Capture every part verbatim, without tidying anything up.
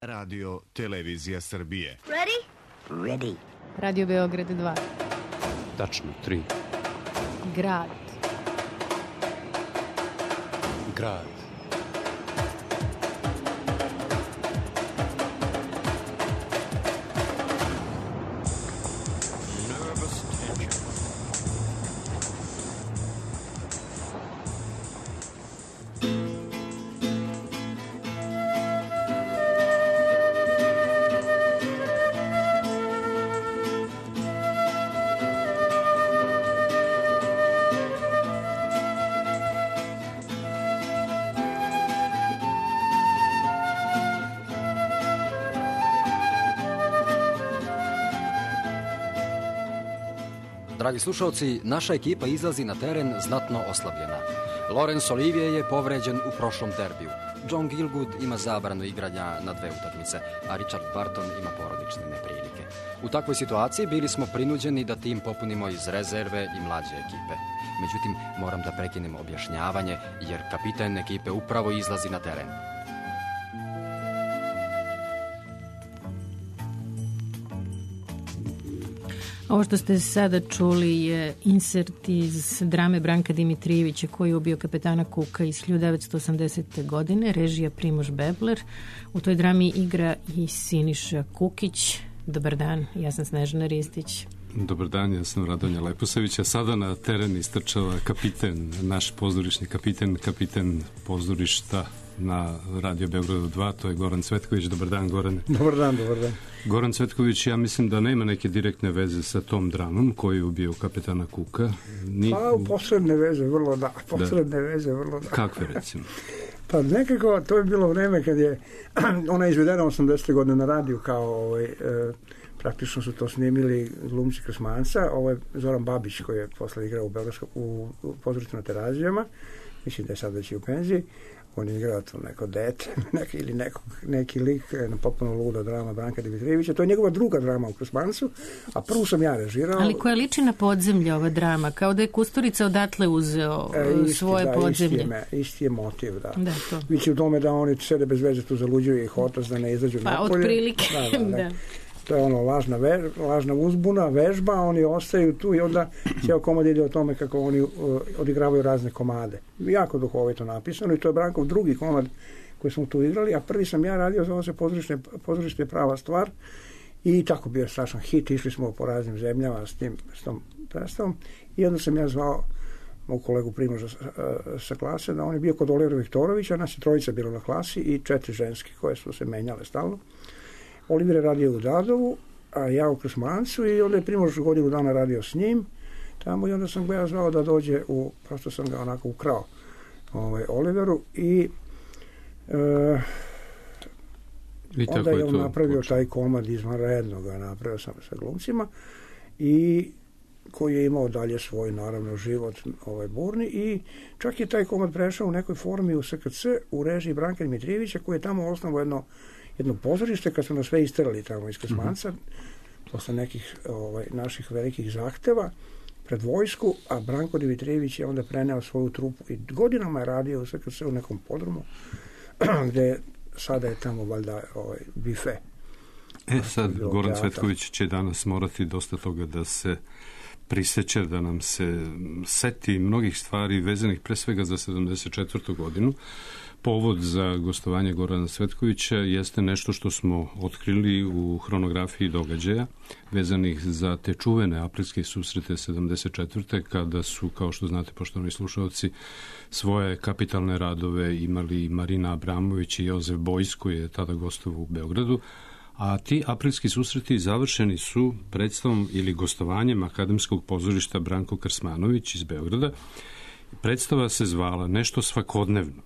Radio Televizija Srbije. Ready? Ready. Radio Beograd dva. Tačno, tri. Grad. Grad. Dragi slušalci, naša ekipa izlazi na teren znatno oslabljena. Laurence Olivier je povređen u prošlom derbiju. John Gielgud ima zabranu igranja na dve utakmice, a Richard Barton ima porodične neprilike. U takvoj situaciji bili smo prinuđeni da tim popunimo iz rezerve i mlađe ekipe. Međutim, moram da prekinem objašnjavanje, jer kapiten ekipe upravo izlazi na teren. Ovo što ste sada čuli je insert iz drame Branka Dimitrijevića koji je ubio kapetana Kuka iz hiljadu devetsto osamdesete. godine, režija Primož Bebler. U toj drami igra i Siniša Kukić. Dobar dan, ja sam Snežana Ristić. Dobar dan, ja sam Radonja Leposavić, a sada na teren istrčava kapiten, naš pozorišni kapiten, kapiten pozorišta na Radio Beogradu dva, to je Goran Cvetković. Dobar dan, Gorane. Dobar dan, dobar dan. Goran Cvetković, ja mislim da nema neke direktne veze sa tom dramom koju je ubio kapetana Kuka. Ni... Pa, posredne veze, vrlo da. Posredne da. veze, vrlo da. Kakve, recimo? Pa nekako, to je bilo vreme kad je ona izvedena osamdesete. godine na radiju kao ovaj, e, praktično su to snimili glumci Krsmanca, ovo je Zoran Babić koji je posle igrao u, u, u pozorištu na Terazijama, mislim da je sad već i u penziji. On je igrao to neko dete neki, ili neko, neki lik na potpuno luda drama Branka Dimitrijevića. To je njegova druga drama u Krsmancu, a prvu sam ja režirao. Ali koja liči na Podzemlje ova drama, kao da je Kusturica odatle uzeo e, isti, svoje da, podzemlje. Isti je, me, isti je motiv, da. da to. Vići u tome da oni sede bez veze tu zaluđuju ih otac da ne izađu pa, napolje. Pa, otprilike, da. da, da. da. To je ono lažna, ve, lažna uzbuna, vežba, oni ostaju tu i onda cijel komad ide o tome kako oni uh, odigravaju razne komade. Jako duhovito napisano i to je Brankov drugi komad koji smo tu igrali, a prvi sam ja radio, zove se pozorište, pozorište prava stvar i tako bio strašan hit, išli smo po raznim zemljama s, tim, s tom predstavom i onda sam ja zvao mog kolegu Primoža sa, sa klase, da on je bio kod Olivera Viktorovića, nas je trojica bilo na klasi i četiri ženske koje su se menjale stalno. Oliver je radio u Dadovu, a ja u Krsmancu i onda je Primož godinu dana radio s njim tamo i onda sam ga ja zvao da dođe u, prosto sam ga onako ukrao ovaj, Oliveru i e, onda je on napravio počne. taj komad izvanredno ga napravio sam sa glumcima i koji je imao dalje svoj naravno život ovaj burni i čak je taj komad prešao u nekoj formi u S K C u režiji Branka Dimitrijevića koji je tamo osnovao jedno jedno pozorište kad su nas sve isterali tamo iz Krsmanca mm-hmm. posle nekih ovaj, naših velikih zahteva pred vojsku, a Branko Dimitrijević je onda preneo svoju trupu i godinama je radio u S K C u nekom podrumu gde sada je tamo valjda ovaj, bife. E sad, Goran Cvetković će danas morati dosta toga da se priseće, da nam se seti mnogih stvari vezanih pre svega za sedamdeset četvrtu. godinu. Povod za gostovanje Gorana Cvetkovića jeste nešto što smo otkrili u hronografiji događaja vezanih za te čuvene aprilske susrete sedamdeset četvrte. kada su, kao što znate, poštovani slušalci, svoje kapitalne radove imali Marina Abramović i Jozef Bojs, koji je tada gostovao u Beogradu, a ti aprilski susreti završeni su predstavom ili gostovanjem Akademskog pozorišta Branko Krsmanović iz Beograda. Predstava se zvala Nešto svakodnevno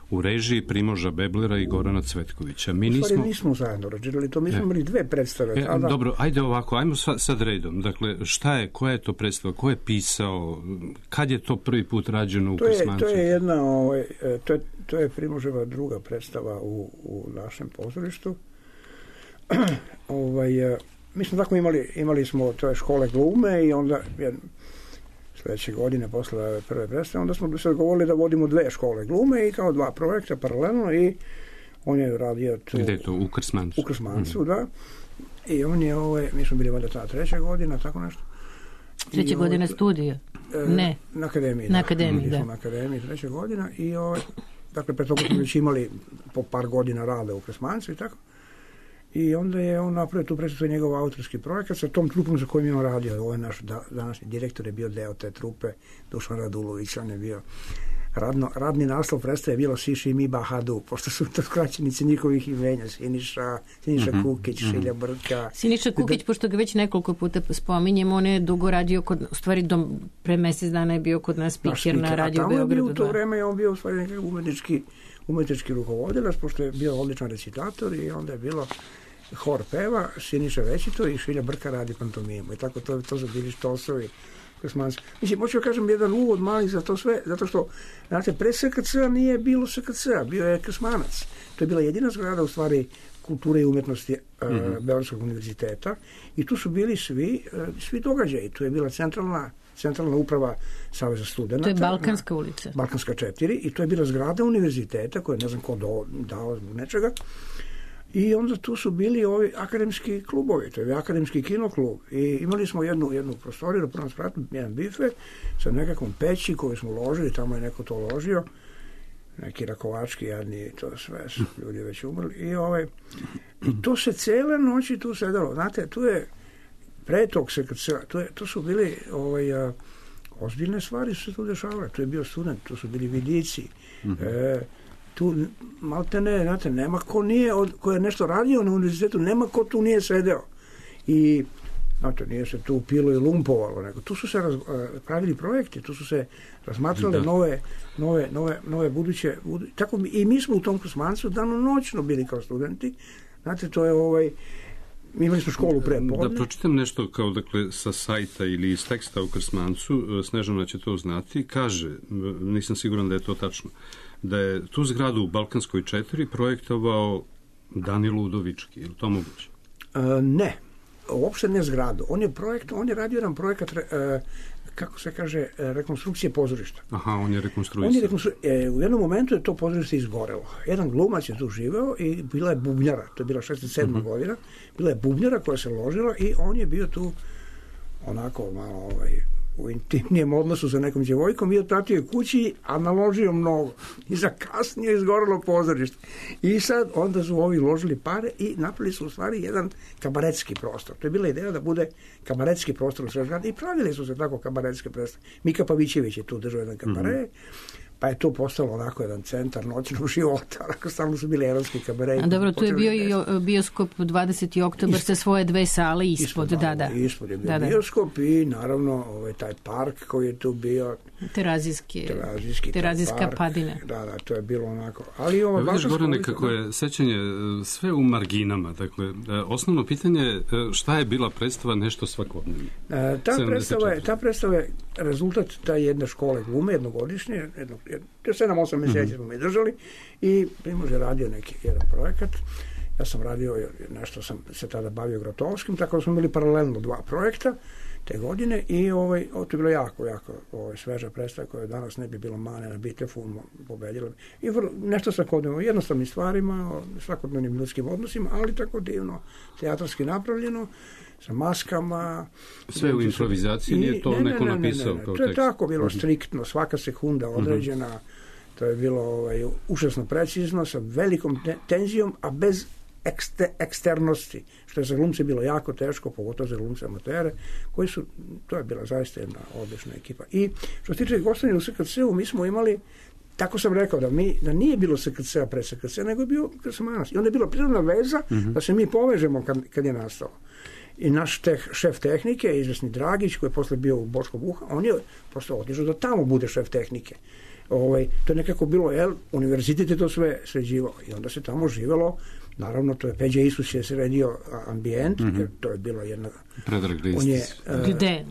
u režiji Primoža Beblera i Gorana Cvetkovića. Mi nismo... U stvari nismo zajedno režirali to, mi smo imali dve predstave. E, tada... Dobro, ajde ovako, ajmo sad redom. Dakle, šta je, koja je to predstava, ko je pisao, kad je to prvi put rađeno u Krsmancu? To je jedna, ovaj, to je, to je Primoževa druga predstava u, u našem pozorištu. ovaj, mi smo tako imali, imali smo to je škole glume i onda sledeće godine posle prve predstave, onda smo se dogovorili da vodimo dve škole glume i kao dva projekta paralelno i On je radio tu... Gde je to? U Krsmancu? U Krsmancu, mm-hmm. da. I on je, ovaj, mi smo bili valjda ta treća godina, tako nešto. Treća I, godina ovaj, studija? E, ne. Na akademiji. Na da. akademiji, da. Na akademiji, treća godina. I, ovaj, dakle, pre toga smo već imali po par godina rada u Krsmancu i tako. I onda je on napravio tu predstavu njegov autorski projekat sa tom trupom za kojim je on radio. Ovo je naš da, današnji direktor je bio deo te trupe, Dušan Radulović, on je bio radno, radni naslov predstave je bilo Siši mi Bahadu, pošto su to skraćenice njihovih imenja, Siniša, Siniša mm-hmm. Kukić, mm-hmm. Šilja Brka. Siniša Kukić, da, pošto ga već nekoliko puta spominjem, on je dugo radio kod, u stvari do, pre mesec dana je bio kod nas spiker na Radio Beogradu. A tamo je bio u to vreme, on bio u stvari nekako umetnički, umetnički rukovodilac, pošto je bio odličan recitator i onda je bilo hor peva, Siniša Većito i Šilja Brka radi pantomimu. I tako to, to su bili štosovi. Mislim, hoću da kažem jedan uvod mali za to sve, zato što, znate, pre S K C-a nije bilo S K C-a, bio je Krsmanac. To je bila jedina zgrada, u stvari, kulture i umetnosti uh, mm-hmm. Beogradskog univerziteta i tu su bili svi, uh, svi događaji. Tu je bila centralna centralna uprava Saveza studenata. To je Balkanska ulica. Balkanska četiri i to je bila zgrada univerziteta koja ne znam ko do, dao nečega. I onda tu su bili ovi akademski klubovi, to je akademski kinoklub i imali smo jednu, jednu prostoriju na prvom spratu, jedan bife sa nekakvom peći koju smo ložili, tamo je neko to ložio, neki Rakovački jadni, to sve su ljudi već umrli i, ovaj, i to se cele noći tu sedalo, znate, tu je pre tog S K C-a, tu, je, tu su bili ovaj, a, ozbiljne stvari su se tu dešavale, tu je bio student, tu su bili vidici, mm-hmm. e, tu malte ne, znate, nema ko nije, od, ko je nešto radio na univerzitetu, nema ko tu nije sedeo. I, znate, nije se tu pilo i lumpovalo, nego tu su se raz, pravili projekti, tu su se razmatrale nove, nove, nove, nove buduće, budu, tako i mi smo u tom Krsmancu danonoćno bili kao studenti, znate, to je ovaj, mi imali smo školu pre podne. Da pročitam nešto kao, dakle, sa sajta ili iz teksta u Krsmancu, Snežana će to znati, kaže, nisam siguran da je to tačno, da je tu zgradu u Balkanskoj četiri projektovao Danilo Udovički. Je li to moguće? E, ne. Uopšte ne zgradu. On je projekt, on je radio jedan projekat, e, kako se kaže, rekonstrukcije pozorišta. Aha, on je rekonstruisao. On je rekonstru... e, u jednom momentu je to pozorište izgorelo. Jedan glumac je tu živeo i bila je bubnjara. To je bila šezdeset sedma uh-huh. godina. Bila je bubnjara koja se ložila i on je bio tu onako malo ovaj, u intimnijem odnosu sa nekom djevojkom i otpratio kući, a naložio mnogo. I za kasnije izgorelo pozorište. I sad onda su ovi ložili pare i napravili su u stvari jedan kabaretski prostor. To je bila ideja da bude kabaretski prostor u Srežgradu i pravili su se tako kabaretske predstave. Mika Pavićević je tu držao jedan kabare, mm-hmm. pa je to postalo onako jedan centar noćnog života. Onako stalno su bili eronski kabareji. A dobro, tu je bio i bioskop dvadeseti oktobar sa svoje dve sale ispod. Ispod, da, da. Ispod je bio da, da. bioskop i naravno ovaj, taj park koji je tu bio. Terazijski. Terazijski. Terazijska padina. Da, da, to je bilo onako. Ali ovo... Da, vidiš, Gorane, kako je sećanje sve u marginama. Dakle, osnovno pitanje je šta je bila predstava nešto svakodnevno? E, ta, predstava je, ta predstava je rezultat ta jedne škole glume, jednogodišnje, jednog sedam osam mjeseci smo mi držali i Primož je radio neki jedan projekat. Ja sam radio, nešto sam se tada bavio Grotovskim, tako da smo imali paralelno dva projekta te godine i ovaj, ovo to je bilo jako, jako ovaj, sveža predstava koja danas ne bi bilo mane na Bitefu, pobedila bi. I vrlo, nešto svakodnevno, jednostavnim stvarima, svakodnevnim ljudskim odnosima, ali tako divno, teatarski napravljeno, sa maskama. Sve u improvizaciji, nije to ne, neko ne, ne, napisao ne, ne, ne. kao tekst? To je tako bilo striktno, svaka sekunda određena, uh-huh. to je bilo ovaj, užasno precizno, sa velikom te- tenzijom, a bez ekste, eksternosti, što je za glumce bilo jako teško, pogotovo za glumce amatere, koji su, to je bila zaista jedna odlična ekipa. I što se tiče gostovanja u S K C-u, mi smo imali, tako sam rekao, da, mi, da nije bilo S K C-a pre S K C-a, nego je bio Krsmanac. I onda je bila prirodna veza uh-huh. da se mi povežemo kad, kad je nastalo. I naš teh, šef tehnike, izvesni Dragić, koji je posle bio u Boško Buha, on je prosto otišao da tamo bude šef tehnike. Ovaj, to je nekako bilo, jel, univerzitet je to sve sređivao i onda se tamo živelo, naravno to je Peđa Isus je sredio ambijent, mm-hmm. jer to je bilo jedna... Predrag on je, uh, Gde?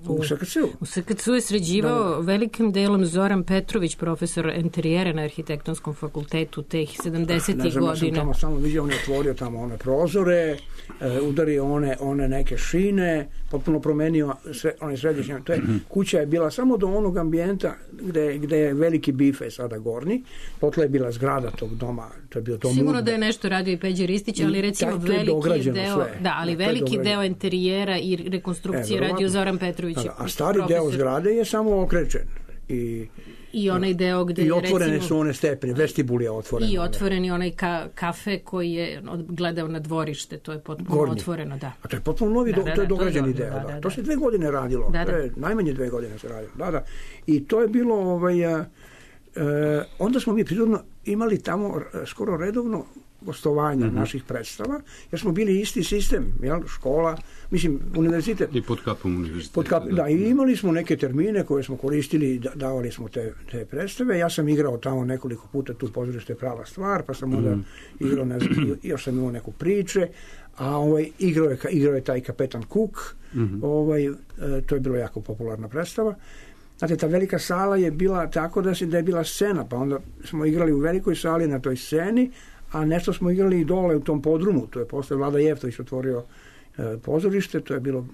U S K C-u. U S K C-u je sređivao da. velikim delom Zoran Petrović, profesor enterijera na Arhitektonskom fakultetu teh sedamdesetih godina. Ne znam, ja sam tamo samo vidio, on je otvorio tamo one prozore, e, udario one, one neke šine, potpuno promenio sve, one središnje. To je, kuća je bila samo do onog ambijenta gde, gde je veliki bife sada gornji. Potle je bila zgrada tog doma. To je bio to Sigurno mudbe. da je nešto radio i Peđe Ristić, ali recimo taj, veliki deo, sve. da, ali da, veliki deo enterijera i rekonstrukcije e, radio Zoran Petrović. Da, a stari profesor. Deo zgrade je samo okrečen. I I onaj deo gde I otvorene recimo, su one stepene, vestibul je otvoren. I otvoreni onaj ka, kafe koji je gledao na dvorište, to je potpuno Gornji. Otvoreno, da. A to je potpuno novi, Da, do, da, to je da, dograđeni to je deo. dobro, Da, da, to da. se dve godine radilo. Da, da. To je, najmanje dve godine se radilo. Da, da. I to je bilo, ovaj, a, e, onda smo mi prirodno imali tamo skoro redovno gostovanja mm-hmm. naših predstava, jer smo bili isti sistem, jel, škola, mislim, univerzitet. I pod kapom univerziteta. Pod kap, da, i imali smo neke termine koje smo koristili i da, davali smo te, te predstave. Ja sam igrao tamo nekoliko puta tu pozorište je prava stvar, pa sam onda mm. igrao, ne znam, još sam imao neku priče, a ovaj, igrao, je, igrao je taj kapetan Cook, mm-hmm. ovaj, e, to je bilo jako popularna predstava. Znate, ta velika sala je bila tako da, se, da je bila scena, pa onda smo igrali u velikoj sali na toj sceni, a nešto smo igrali i dole u tom podrumu. To je posle Vlada Jeftović otvorio e, pozorište, to je bilo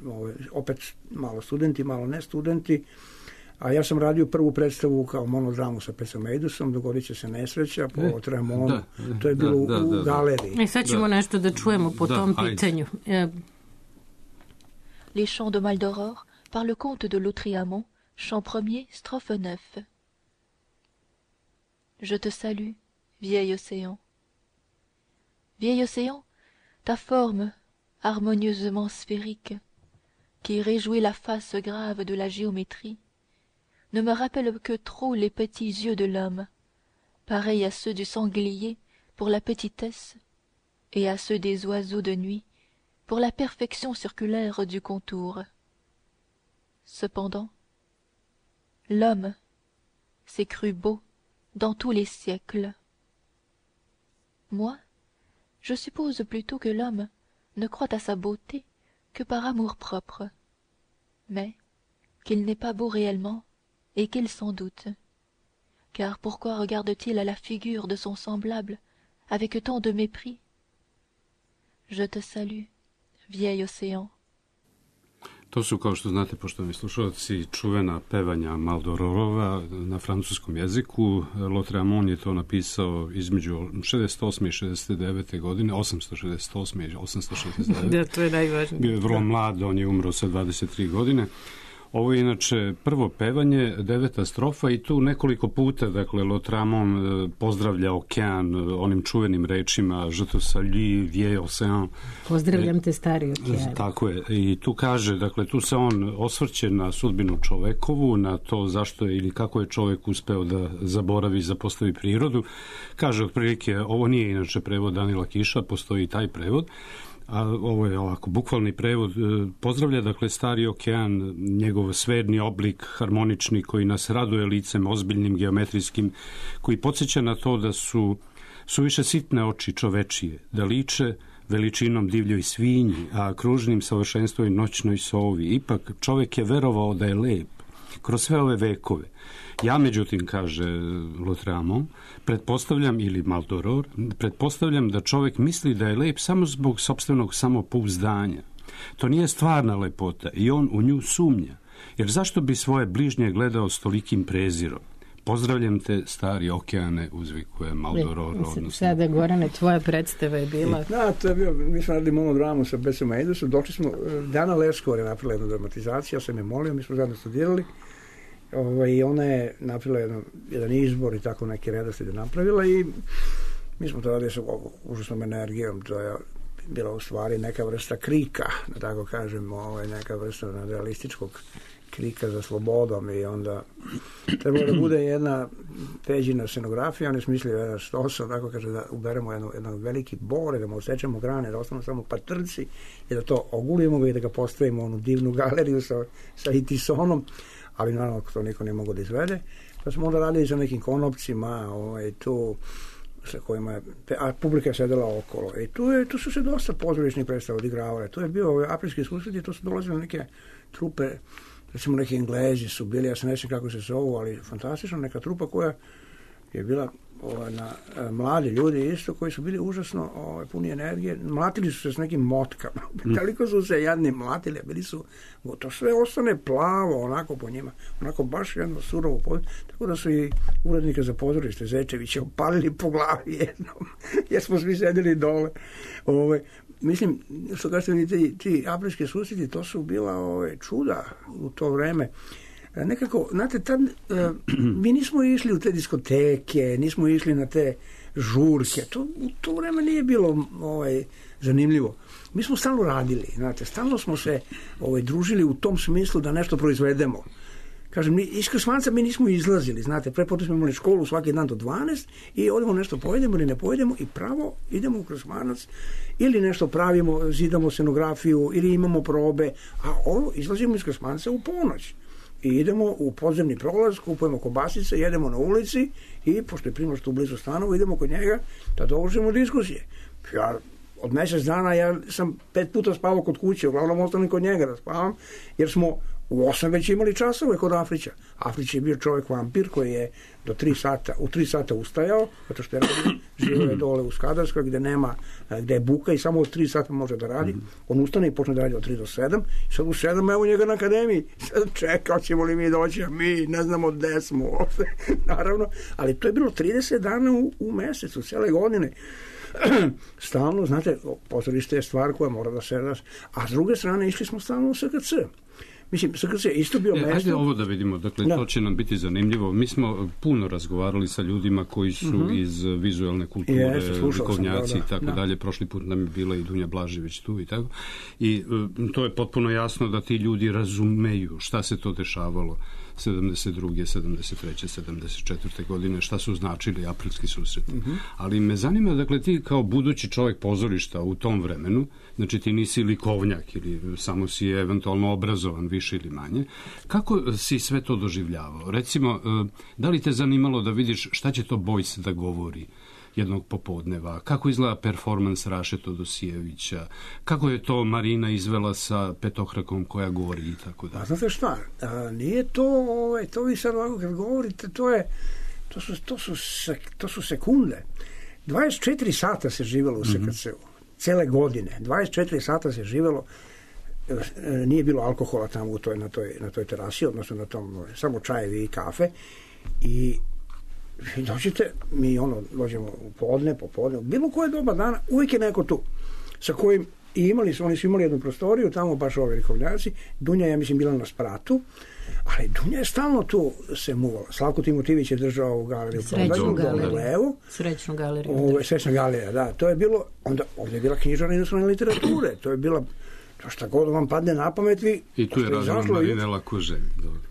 ove, opet malo studenti, malo ne studenti, a ja sam radio prvu predstavu kao monodramu sa Pecom Eidusom, Dogodit će se nesreća po e, Tremonu, da, to je bilo da, da, u, u galeriji. E, sad ćemo da. nešto da čujemo po da, tom ajde. pitanju. E. Les Chants de Maldoror par le comte de Lautréamont, chant premier, strophe neuf. Je te salue, vieil océan. Vieil océan, ta forme harmonieusement sphérique, qui réjouit la face grave de la géométrie, ne me rappelle que trop les petits yeux de l'homme, pareils à ceux du sanglier pour la petitesse, et à ceux des oiseaux de nuit pour la perfection circulaire du contour. Cependant, l'homme s'est cru beau dans tous les siècles. Moi, je suppose plutôt que l'homme ne croit à sa beauté que par amour-propre, mais qu'il n'est pas beau réellement et qu'il s'en doute. Car pourquoi regarde-t-il à la figure de son semblable avec tant de mépris? Je te salue, vieil océan. To su, kao što znate, poštovani slušalci, čuvena pevanja Maldororova na francuskom jeziku. Lautréamont je to napisao između šezdeset osme i šezdeset devete godine, osamsto šezdeset osme i osamsto šezdeset devete. Da, to je najvažnije. Bio je vrlo mlad, on je umro sa dvadeset tri godine. Ovo je inače prvo pevanje, deveta strofa i tu nekoliko puta, dakle, Lautréamont pozdravlja okean onim čuvenim rečima Je te salue, vieil océan. Pozdravljam te, stari okean. Tako je. I tu kaže, dakle, tu se on osvrće na sudbinu čovekovu, na to zašto je ili kako je čovek uspeo da zaboravi, zapostavi prirodu. Kaže, otprilike, ovo nije inače prevod Danila Kiša, postoji i taj prevod. A ovo je ovako, bukvalni prevod, pozdravlja, dakle, stari okean, njegov sferni oblik, harmonični, koji nas raduje licem, ozbiljnim, geometrijskim, koji podsjeća na to da su suviše sitne oči čovečije, da liče veličinom divljoj svinji, a kružnim savršenstvom i noćnoj sovi. Ipak čovek je verovao da je lep kroz sve ove vekove. Ja, međutim, kaže Lautréamont, pretpostavljam, ili Maldoror, pretpostavljam da čovek misli da je lep samo zbog sopstvenog samopouzdanja. To nije stvarna lepota i on u nju sumnja. Jer zašto bi svoje bližnje gledao s tolikim prezirom? Pozdravljam te, stari okeane, uzvikuje Maldoror. Odnosno. Sada, Gorane, tvoja predstava je bila... Da, to je bio, mi smo radili monodramu sa Pecom Eidusom, došli smo, Dana Leskor je napravila jednu dramatizaciju, ja sam je molio, mi smo zajedno studirali, ovaj, i ona je napravila jedan, jedan izbor i tako neki redoslijed je napravila i mi smo to radili sa užasnom energijom, to je bila u stvari neka vrsta krika, da tako kažem, ovaj, neka vrsta realističkog krika za slobodom i onda trebalo da bude jedna Peđina scenografija, on je smislio jedan stosa, tako kaže da uberemo jedno, jedan veliki bor, da mu osjećamo grane, da ostanu samo patrci i da to ogulimo ga i da ga postavimo u onu divnu galeriju sa, sa itisonom, ali naravno to niko ne mogu da izvede. Pa smo onda radili sa nekim konopcima, ovaj, tu sa kojima je, a publika je sedela okolo. I tu, je, tu su se dosta pozorišnih predstava odigravale. To je bio ove aprilski susret i to su dolazile neke trupe, recimo neki Englezi su bili, ja se ne sjećam kako se zovu, ali fantastično, neka trupa koja je bila ovaj, na e, mladi ljudi isto koji su bili užasno ovaj, puni energije. Mlatili su se s nekim motkama. Mm. Toliko su se jadni mlatili, bili su, to sve ostane plavo onako po njima. Onako baš jedno surovo područje. Tako da su i urednika za pozorište Zečevića opalili po glavi jednom. Jer smo svi sedeli dole. Ovaj, mislim, što kažete, ti, ti aprilski susreti, to su bila ovaj, čuda u to vreme. Nekako, znate, tad, uh, mi nismo išli u te diskoteke, nismo išli na te žurke, to, u to vreme nije bilo ovaj, zanimljivo. Mi smo stalno radili, znate, stalno smo se ovaj, družili u tom smislu da nešto proizvedemo. Kažem, iz Krsmanca mi nismo izlazili, znate, prepotu smo imali školu svaki dan do dvanaest i odemo nešto pojedemo ili ne pojedemo i pravo idemo u Krsmanac ili nešto pravimo, zidamo scenografiju ili imamo probe, a ovo izlazimo iz Krsmanca u ponoć. I idemo u podzemni prolaz, kupujemo kobasice, jedemo na ulici i, pošto je Primož tu blizu stanova, idemo kod njega da dovršimo diskusije. Ja, od mjesec dana ja sam pet puta spavao kod kuće, uglavnom ostanem kod njega da spavam, jer smo u osam već imali časove kod Afrića. Afrić je bio čovjek vampir koji je do tri sata, u tri sata ustajao, zato što je živio je dole u Skadarskoj gdje nema, gdje je buka i samo od tri sata može da radi. On ustane i počne da radi od tri do sedam. I sad u sedam evo njega na akademiji. Sad čekao ćemo li mi doći, a mi ne znamo gde smo. Naravno, ali to je bilo trideset dana u, u mjesecu, cijele godine. Stalno, znate, pozorište je stvar koja mora da se raz... A s druge strane išli smo stalno u S K C. Mislim, S K C je isto bio e, mesto... Ajde ovo da vidimo, dakle, da. To će nam biti zanimljivo. Mi smo puno razgovarali sa ljudima koji su uh-huh. iz vizualne kulture, Jeste, likovnjaci i tako da. dalje. Prošli put nam je bila i Dunja Blažević tu i tako. I uh, to je potpuno jasno da ti ljudi razumeju šta se to dešavalo sedamdeset druge, sedamdeset treće, sedamdeset četvrte godine, šta su značili aprilski susreti. Uh-huh. Ali me zanima, dakle, ti kao budući čovjek pozorišta u tom vremenu, znači ti nisi likovnjak ili samo si eventualno obrazovan više ili manje, kako si sve to doživljavao? Recimo, da li te zanimalo da vidiš šta će to Bojs da govori jednog popodneva, kako izgleda performans Raše Todosijevića, kako je to Marina izvela sa Petohrakom koja govori i tako da. A znate šta, a, nije to, ovaj, to vi sad ovako kad govorite, to je, to su, to su, sek, to su sekunde. dvadeset četiri sata se živjelo u S K C-u, mm-hmm. cele godine, dvadeset četiri sata se živjelo, nije bilo alkohola tamo u toj, na, toj, na toj terasi, odnosno na tom, samo čajevi i kafe i vi dođete, mi ono, dođemo u podne, popodne, bilo koje doba dana, uvijek je neko tu, sa kojim i imali su, oni su imali jednu prostoriju, tamo baš ovi likovnjaci, Dunja je, mislim, bila na spratu, ali Dunja je stalno tu se muvala. Slavko Timotivić je držao u galeriju. Srećnu galeriju. Levo. Srećnu galeriju. Ove, srećna galerija, da. To je bilo, onda ovdje je bila knjižarna inostrane literature, to je bila to šta god vam padne na pamet vi... I tu je radila Marinela Kuželj.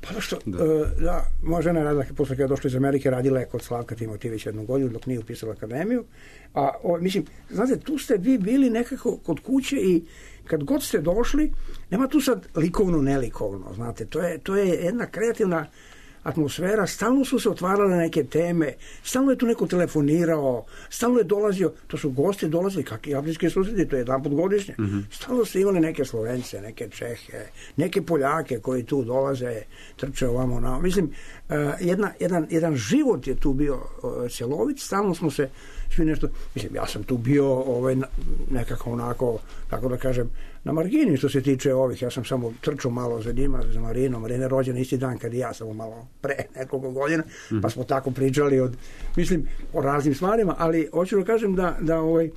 Pa da što, da, uh, da moja žena je radila, posle kada je došla iz Amerike, radila je kod Slavka Timotivića jednu godinu, dok nije upisala akademiju. A, o, mislim, znate, tu ste vi bili nekako kod kuće i kad god ste došli, nema tu sad likovno, nelikovno, znate, to je, to je jedna kreativna atmosfera, stalno su se otvarale neke teme, stalno je tu neko telefonirao, stalno je dolazio, to su gosti dolazili, kakvi aprilski susreti, to je jedan put godišnje, mm-hmm. stalno su imali neke Slovence, neke Čehe, neke Poljake koji tu dolaze, trče ovamo na... Mislim, uh, jedna, jedan, jedan život je tu bio uh, cjelovit, stalno smo se svi nešto... Mislim, ja sam tu bio ovaj, nekako onako, kako da kažem, na margini što se tiče ovih, ja sam samo trčao malo za njima, za Marinu, Marina je rođena isti dan kad i ja, samo malo pre nekoliko godina, mm-hmm. pa smo tako pričali od, mislim, o raznim stvarima, ali hoću da kažem da, da ovaj,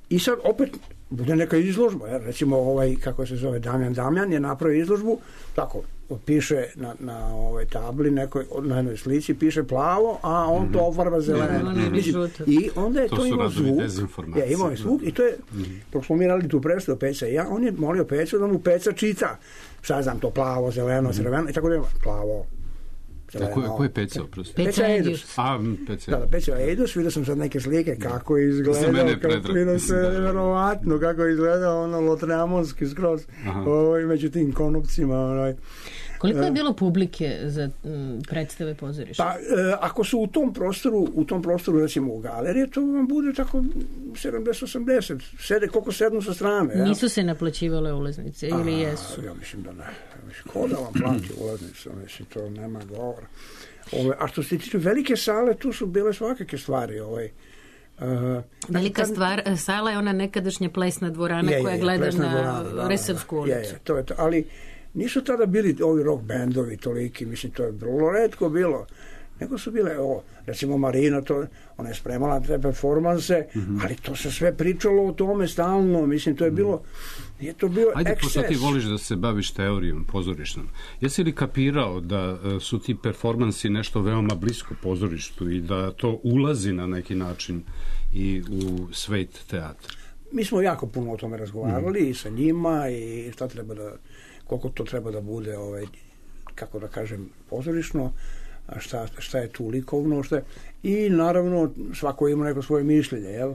i sad opet bude neka izložba, jer recimo ovaj, kako se zove, Damjan Damjan je napravio izložbu, tako, piše na, na ovoj tabli, nekoj, na jednoj slici piše plavo, a on mm-hmm. to ofarba zeleno. Mm-hmm. I onda je to, to imao zvuk. Ja, imao je zvuk i to je, mm-hmm. dok smo mi radili tu predstavu Peca i ja, on je molio Pecu da mu Peca čita. Sad znam to plavo, zeleno, mm-hmm. crveno i tako da ima plavo. A ko je, ko je Peca, oprosti? Peca Eidus. A, Peca. Da, da, Peca Eidus, vidio sam sad neke slike kako je izgledao, kako je se nevjerovatno, kako je izgledao ono lotreamonski skroz, ovaj, među tim konopcima, onaj. Koliko je bilo publike za m, predstave pozorišta? Pa, e, ako su u tom prostoru, u tom prostoru, recimo u galeriji, to vam bude tako sedamdeset osamdeset. Sede koliko sednu sa strane. Ja? Nisu se naplaćivale ulaznice ili A, jesu? Ja mislim da ne. Ko da vam plati ulaznice? Mislim, to nema govora. Ove, a što se tiče velike sale, tu su bile svakake stvari. Ovaj, Uh, Velika kad, stvar, sala je ona nekadašnja plesna dvorana je, koja je, gleda na dvorana, Resavsku ulicu. Je, je, to je to. Ali nisu tada bili ovi rock bendovi toliki, mislim, to je vrlo retko bilo. Nego su bile, o, recimo Marina, to, ona je spremala te performanse, mm-hmm. ali to se sve pričalo o tome stalno, mislim, to je bilo, je to bio Ajde, ekses. pošto ti voliš da se baviš teorijom pozorišnom, jesi li kapirao da su ti performansi nešto veoma blisko pozorištu i da to ulazi na neki način i u svet teatra? Mi smo jako puno o tome razgovarali mm. i sa njima i šta treba da, koliko to treba da bude, ovaj, kako da kažem, pozorišno, a šta, šta je tu likovno, šta je, i naravno svako ima neko svoje mišljenje, jel?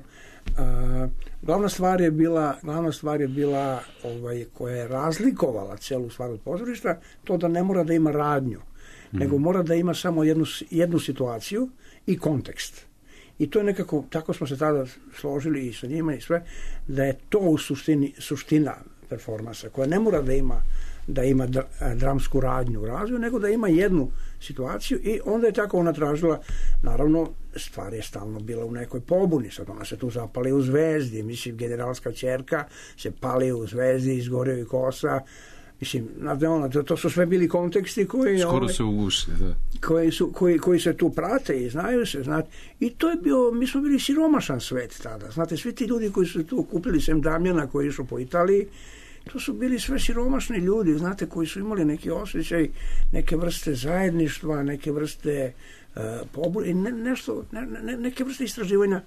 A, glavna stvar je bila, glavna stvar je bila ovaj, koja je razlikovala celu stvar od pozorišta, to da ne mora da ima radnju, mm. nego mora da ima samo jednu, jednu situaciju i kontekst. I to je nekako, tako smo se tada složili i sa njima i sve, da je to u suštini, suština performansa, koja ne mora da ima da ima dramsku radnju u razvoju, nego da ima jednu situaciju i onda je tako ona tražila, naravno, stvar je stalno bila u nekoj pobuni, sad ona se tu zapali u Zvezdi, mislim, generalska ćerka se pali u Zvezdi, izgorio i kosa, mislim, znate, ono, to, to su sve bili konteksti koji... Skoro ovaj, se ugušli, da. Koji, su, koji, koji se tu prate i znaju se, znate, i to je bio, mi smo bili siromašan svet tada, znate, svi ti ljudi koji su tu kupili sem Damjana koji išao po Italiji, to su bili sve siromašni ljudi, znate, koji su imali neki osjećaj, neke vrste zajedništva, neke vrste uh, pobune, i ne, nešto, ne, ne, neke vrste istraživanja,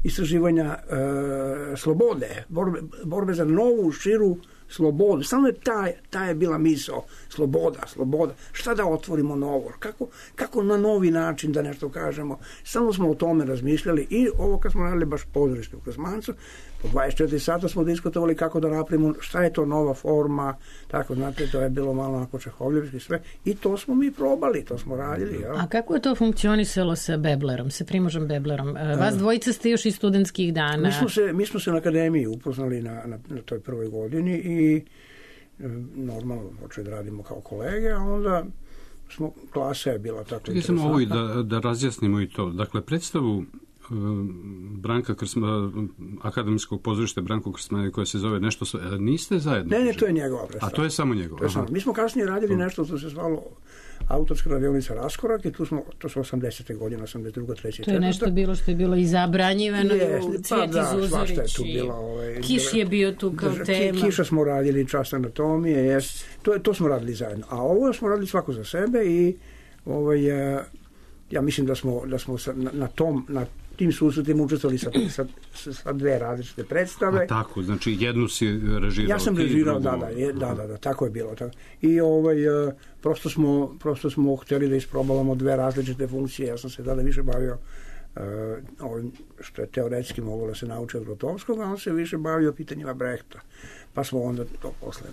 istraživanja uh, slobode, borbe, borbe za novu, širu slobodu. Stalno je ta, ta je bila misao, sloboda, sloboda. Šta da otvorimo novo? Kako, kako na novi način da nešto kažemo? Stalno smo o tome razmišljali i ovo kad smo radili baš pozorište u Kosmancu, po dvadeset četiri sata smo diskutovali kako da napravimo, šta je to nova forma, tako, znate, to je bilo malo onako čehovljivski sve i to smo mi probali, to smo radili. Ja. A kako je to funkcionisalo sa Beblerom, sa Primožom Beblerom? Vas dvojica ste još iz studentskih dana. Mi smo se, mi smo se na akademiji upoznali na, na, na toj prvoj godini i normalno počeli da radimo kao kolege, a onda smo, klasa je bila tako interesantna. Čekaj samo ovo i da, da razjasnimo i to. Dakle, predstavu Branka Krsmana, akademskog pozorišta Branko Krsmana koja se zove nešto, niste zajedno? Ne, ne, to je njegova predstava. A to je samo njegova? To je samo. Mi smo kasnije radili nešto što se zvalo autorska radionica Raskorak i tu smo, to su osamdesete godine, osamdeset druga, treća, to je nešto bilo što je bilo i zabranjivano, Cvijeti pa da, Zuzorić, je tu bila, ovaj, Kiš je bio tu kao drža, tema. Kiša smo radili, čast anatomije, jes, to, to smo radili zajedno. A ovo smo radili svako za sebe i ovaj, ja mislim da smo, da smo na, na tom, na tim susretima učestvovali sa, sa, sa dve različite predstave. A tako, znači jednu si režirao. Ja sam režirao, da, da, je, da, da, da, tako je bilo. Tako. I ovaj, prosto, smo, prosto smo htjeli da isprobavamo dve različite funkcije. Ja sam se tada više bavio uh, ovim što je teoretski moglo da se nauči od Grotovskog, a on se više bavio pitanjima Brehta. Pa smo onda to posle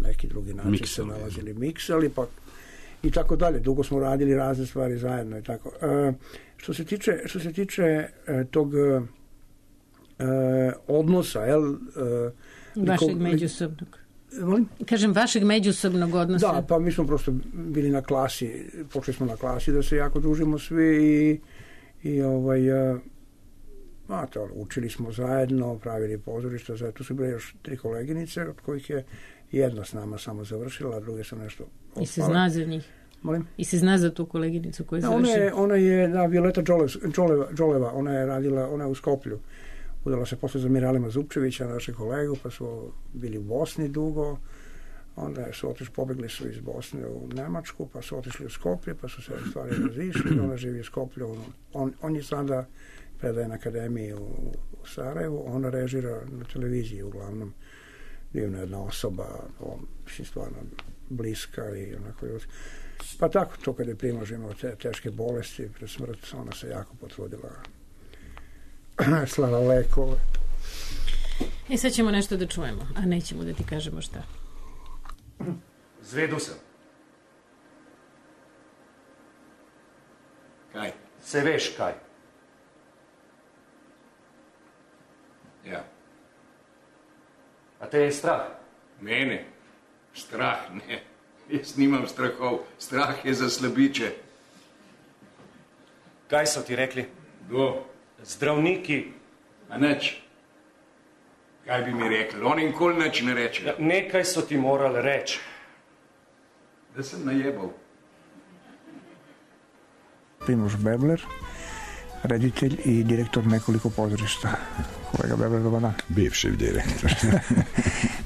neki drugi način miksali, se nalazili, miksali, pa i tako dalje. Dugo smo radili razne stvari zajedno i tako. Uh, što se tiče, što se tiče uh, tog uh, odnosa, jel? Uh, vašeg liko, međusobnog. Molim? Kažem, vašeg međusobnog odnosa. Da, pa mi smo prosto bili na klasi, počeli smo na klasi da se jako družimo svi i, i ovaj, uh, a to, učili smo zajedno, pravili pozorišta, zajedno. Tu su bile još tri koleginice, od kojih je jedna s nama samo završila, a druge su nešto opale. I se zna za njih? Molim? I se zna za tu koleginicu koju je završila? Ona je, ona je da, Violeta Đoleva, Đoleva, ona je radila, ona je u Skoplju. Udala se posle za Miralima Zupčevića, našeg kolegu, pa su bili u Bosni dugo, onda su otišli, pobegli su iz Bosne u Nemačku, pa su otišli u Skoplje, pa su se stvari razišli, ona živi u Skoplju, on, on, on je sada predaje na akademiji u, u Sarajevu, ona režira na televiziji uglavnom, divna jedna osoba, on, mislim, stvarno bliska i onako još. Pa tako, to kad je Primož imao te teške bolesti pred smrt, ona se jako potrudila, slala lekove. I sad ćemo nešto da čujemo, a nećemo da ti kažemo šta. Zvedu sam. Kaj? Se veš kaj. Ja. A te je strah? Mene? Strah ne. Jaz nimam strahov. Strah je za slabiče. Kaj so ti rekli? Kdo? Zdravniki. A nič. Kaj bi mi rekli? Oni nikoli nič ne reče. Ja, nekaj so ti morali reči. Da sem najebal. Primož Bebler, reditelj i direktor nekoliko pozorišta. Kolega Bebler, dobar dan. Bivši direktor.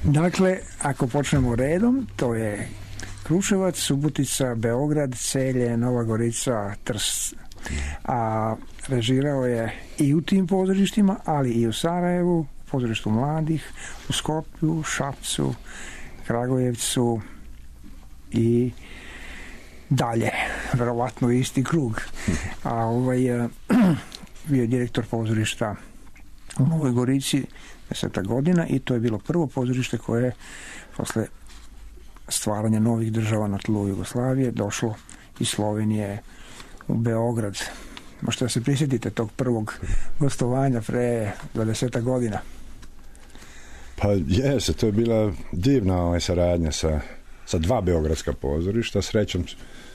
Dakle, ako počnemo redom, to je Kruševac, Subotica, Beograd, Celje, Nova Gorica, Trst. A režirao je i u tim pozorištima, ali i u Sarajevu, pozorištu mladih, u Skoplju, Šapcu, Kragujevcu i dalje, verovatno isti krug. A ovaj bio je direktor pozorišta u Novoj Gorici deseta godina i to je bilo prvo pozorište koje je posle stvaranja novih država na tlu Jugoslavije došlo iz Slovenije u Beograd. Možete da se prisjetite tog prvog gostovanja pre dvadeset godina? Pa jeste, to je bila divna ovaj, saradnja sa, sa dva beogradska pozorišta. Srećom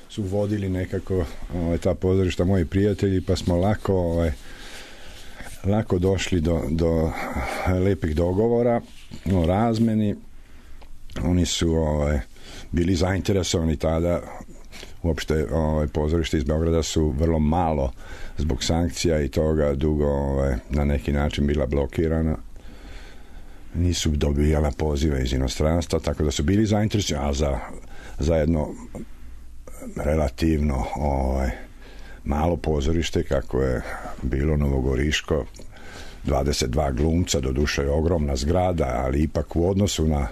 su vodili nekako ovaj, ta pozorišta moji prijatelji, pa smo lako ovaj, lako došli do, do lepih dogovora o razmeni. Oni su ovaj, bili zainteresovani tada. Uopšte ovaj, pozorište iz Beograda su vrlo malo zbog sankcija i toga dugo ovaj, na neki način bila blokirana. Nisu dobijala pozive iz inostranstva, tako da su bili zainteresovani, a za, za jedno relativno ovaj, malo pozorište kako je bilo Novogoriško, dvadeset dva glumca, doduše je ogromna zgrada, ali ipak u odnosu na,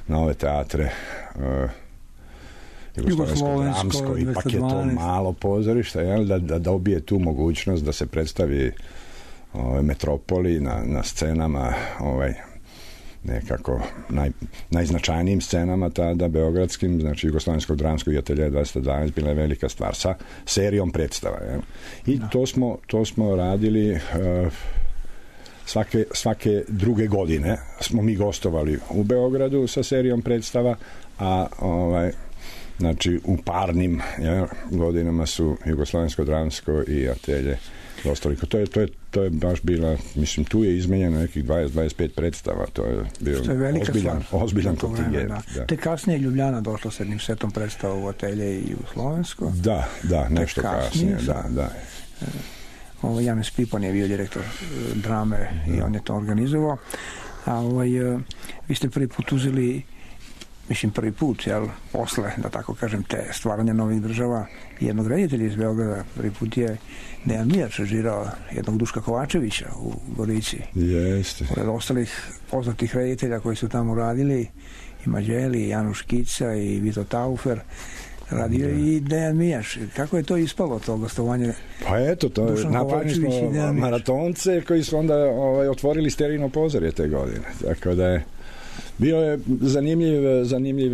na ove teatre uh, Jugoslovensko, ipak je to malo pozorište, jel, da, da dobije tu mogućnost da se predstavi ovaj, metropoli na, na scenama ovaj, nekako naj, najznačajnijim scenama tada beogradskim, znači Jugoslovenskog dramskog ateljea dvadeset dvanaest bila je velika stvar sa serijom predstava. Jel? I no. to, smo, to smo radili uh, svake, svake druge godine smo mi gostovali u Beogradu sa serijom predstava, a ovaj znači u parnim ja, godinama su Jugoslovensko dramsko i atelje dostali. To je, to, je, to je baš bila, mislim, tu je izmenjeno nekih dvadeset do dvadeset pet predstava. To je bio je ozbiljan, ozbiljan kontingent. Da. Da. Te kasnije Ljubljana došla s jednim setom predstava u atelje i u Slovensko. Da, da, nešto kasnije. kasnije da, da. Ovo, Janez Pipan je bio direktor drame da. I on je to organizovao. A ovaj, vi ste prvi put uzeli mislim prvi put, jel, posle, da tako kažem, te stvaranja novih država jednog reditelja iz Beograda, prvi put je Dejan Mijač režirao jednog Duška Kovačevića u Gorici. Jeste. Pored ostalih poznatih reditelja koji su tamo radili, i Mađeli, i Januš Kica, i Vito Taufer, radio da. I Dejan Mijač. Kako je to ispalo, to gostovanje? Pa eto, to je, napravili smo maratonce koji su onda ovaj, otvorili sterilno pozorje te godine. Tako da je bio je zanimljiv, zanimljiv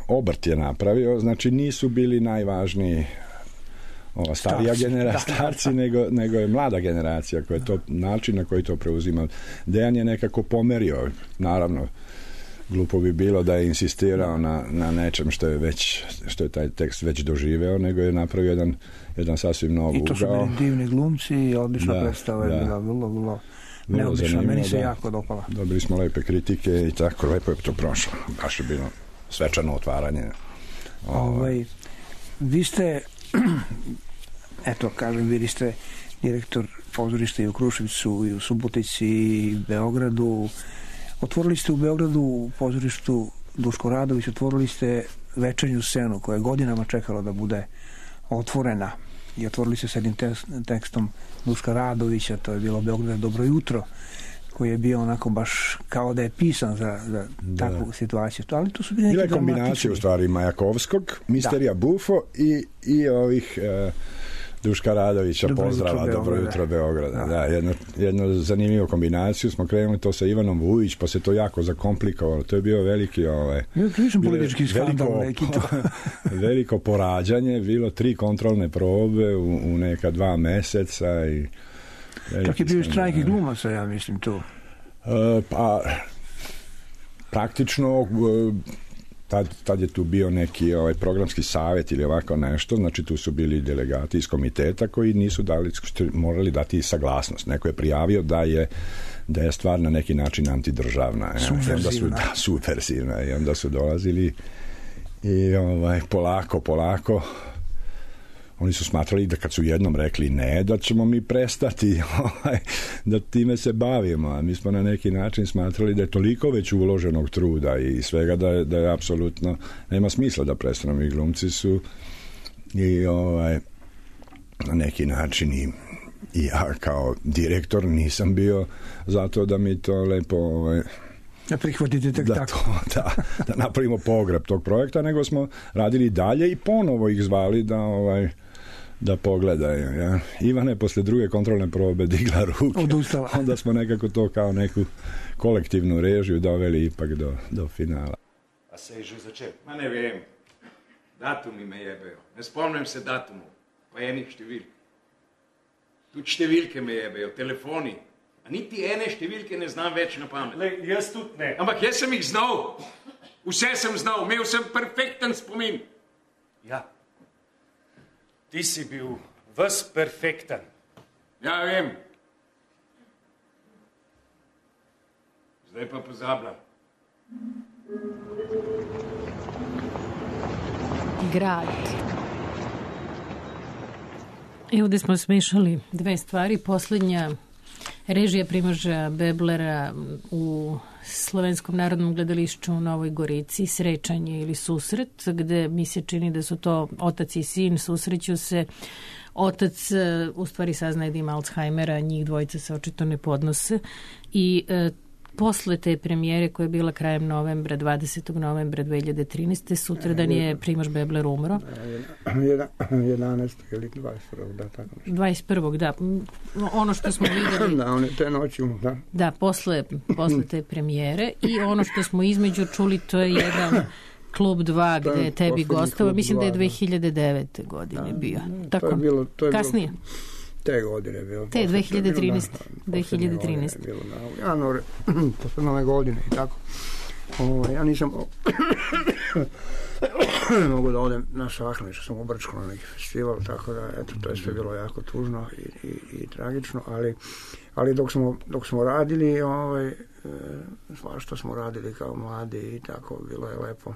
obrt je napravio, znači nisu bili najvažniji ova starija generacija, starci, nego, nego je mlada generacija koja je to, način na koji to preuzima. Dejan je nekako pomerio, naravno, glupo bi bilo da je insistirao na, na nečem što je već, što je taj tekst već doživeo, nego je napravio jedan, jedan sasvim nov ugao. I to su bili divni glumci i odlična da, predstava je bila, vrlo, vrlo neobično, meni se da, jako dopala. Dobili smo lepe kritike i tako, lepo je to prošlo. Baš je bilo svečano otvaranje. Ovaj, vi ste, eto, kažem, vi ste direktor pozorišta i u Kruševcu, i u Subotici, i u Beogradu. Otvorili ste u Beogradu u pozorištu Duško Radović, otvorili ste večernju scenu koja je godinama čekala da bude otvorena. I otvorili se s jednim tekstom Duška Radovića, to je bilo Beograd dobro jutro, koji je bio onako baš kao da je pisan za, za da. takvu situaciju. Ali to su bili bila je kombinacija u stvari Majakovskog, Misterija da. Bufo i, i ovih e, Duška Radovića, Dobro pozdrava, jutro, dobro Beograda. jutro Beograda. Da, jedno, jednu zanimljivu kombinaciju smo krenuli to sa Ivanom Vujić, pa se to jako zakomplikovalo. To je bio veliki ovaj, Ja nisam politički skandal veliko, neki to. veliko porađanje, bilo tri kontrolne probe u, u neka dva meseca i Čak je bio štrajk i glumaca, ja mislim tu. E, pa praktično Tad, tad je tu bio neki ovaj, programski savjet ili ovako nešto, znači tu su bili delegati iz komiteta koji nisu dali, morali dati saglasnost. Neko je prijavio da je, da je stvar na neki način antidržavna. Subverzivna. Da, subverzivna. I onda su dolazili i ovaj, polako, polako oni su smatrali da kad su jednom rekli ne, da ćemo mi prestati ovaj, da time se bavimo, a mi smo na neki način smatrali da je toliko već uloženog truda i svega da je, da je apsolutno nema smisla da prestanemo. I glumci su i ovaj, na neki način i, i ja kao direktor nisam bio zato da mi to lepo ovaj, da prihvatite tek da tako. To, da, da napravimo pogreb tog projekta, nego smo radili dalje i ponovo ih zvali da ovaj da pogledaju. Ja. Ivana je posle druge kontrolne probe digla ruke. Odustala. Onda smo nekako to kao neku kolektivnu režiju doveli ipak do, do finala. A se je že začel? Ma ne vem. Datumi me jebejo. Ne spomnim se datumu. Pa enih številk. Tudi številke me jebejo. Telefoni. A niti ene številke ne znam več na pamet. Le, jaz tudi ne. Ampak jaz sem jih znal. Vse sem znal. Imel sem perfekten spomin. Ja. Ti si bil ves perfekten. Ja, vem. Zdaj pa pozabljam. Grad. I ovdje smo smešali dve stvari. Poslednja režija Primoža Beblera u Slovenskom narodnom gledališću u Novoj Gorici, Srećanje ili susret, gde mi se čini da su to otac i sin, susreću se. Otac u stvari saznaje da ima Alzheimera, njih dvojica se očito ne podnose i e, posle te premijere koja je bila krajem novembra, dvadesetog novembra dve hiljade trinaeste. sutradan je Primož Bebler umro. jedanaestog ili dvadeset prvog da, tako nešto. dvadeset prvog da. Ono što smo videli... da, on je te noći, da. Da, posle, posle te premijere i ono što smo između čuli, to je jedan Klub dva gde je tebi gostova. Mislim da je dve hiljade devete godine bio. Tako, to je bilo, to je kasnije. Bilo, te godine je bilo. Te dve hiljade trinaeste. dve hiljade trinaeste. Bilo na januar, posle nove godine i tako. O, ja nisam mogu da odem na Šahne, što sam u Brčku na neki festival, tako da, eto, to je sve bilo jako tužno i, i, i tragično, ali, ali dok smo, dok smo radili, ovaj, e, svašta smo radili kao mladi i tako, bilo je lepo.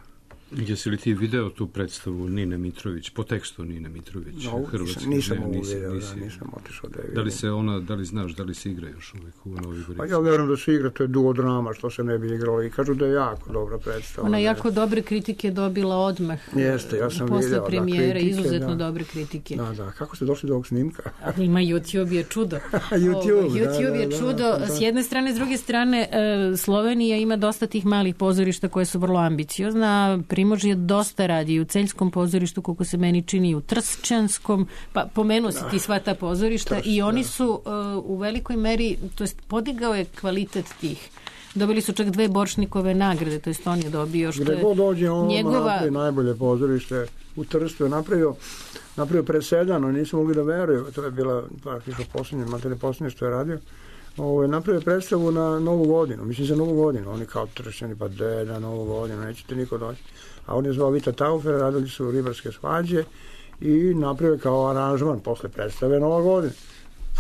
Jesi li ti video tu predstavu Nine Mitrović, po tekstu Nine Mitrović? No, Hrvatski, nisam ne, ovo nisi, video, nisi. da, nisam otišao da je vidio. Da li se ona, da li znaš, da li se igra još uvijek u Novoj Gorici? Pa ja vjerujem da se igra, to je duodrama, što se ne bi igralo i kažu da je jako dobra predstava. Ona je jako dobre kritike dobila odmah. Jeste, ja sam posle video, premijere, da, kritike, izuzetno da. dobre kritike. Da, da, kako ste došli do ovog snimka? Ima YouTube je čudo. YouTube, o, YouTube da, je da, čudo. da, da. S jedne strane, s druge strane, e, Slovenija ima dosta tih malih pozorišta koje su vrlo ambiciozna. Primož je dosta radi u Celjskom pozorištu, koliko se meni čini u Tršćanskom, pa pomenuo si ti sva ta pozorišta Trš, i oni da. su uh, u velikoj meri, to jest podigao je kvalitet tih. Dobili su čak dve Boršnikove nagrade, to jest on je dobio što Gde je god dođe, on njegova... napravi najbolje pozorište u Trstu je napravio, napravio presedano, nisu mogli da veruju, to je bila praktično posljednje, materi posljednje što je radio. Ovo je napravio predstavu na Novu godinu, mislim za Novu godinu, oni kao Tršćani, pa de, na Novu godinu, nećete niko doći. A on je zvao Vita Taufer, radili su ribarske svađe i napravio kao aranžman posle predstave Nova godina.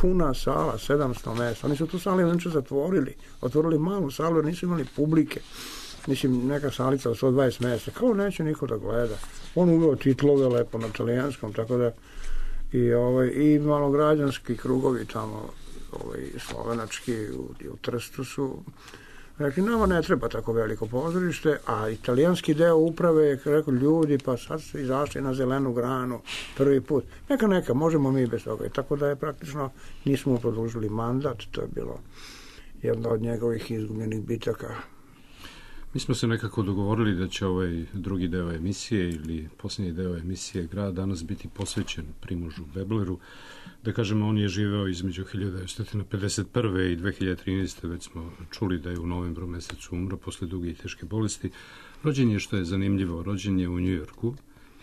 Puna sala, sedamsto mesta. Oni su tu salu inače zatvorili, otvorili malu salu jer nisu imali publike. Mislim, neka salica od sto dvadeset mesta. Kao neće niko da gleda. On uveo titlove lepo na talijanskom, tako da i, ovaj, i malograđanski krugovi tamo, ovaj, slovenački u, u Trstu su rekli, nama ne treba tako veliko pozorište, a italijanski deo uprave je rekao, ljudi, pa sad su izašli na zelenu granu prvi put. Neka, neka, možemo mi bez toga. I tako da je praktično, nismo produžili mandat, to je bilo jedna od njegovih izgubljenih bitaka. Mi smo se nekako dogovorili da će ovaj drugi deo emisije ili posljednji deo emisije Grad danas biti posvećen Primožu Bebleru. Da kažemo, on je živeo između hiljadu devetsto pedeset prve i dve hiljade trinaeste. Već smo čuli da je u novembru mesecu umro posle duge i teške bolesti. Rođen je, što je zanimljivo, rođen je u Njujorku,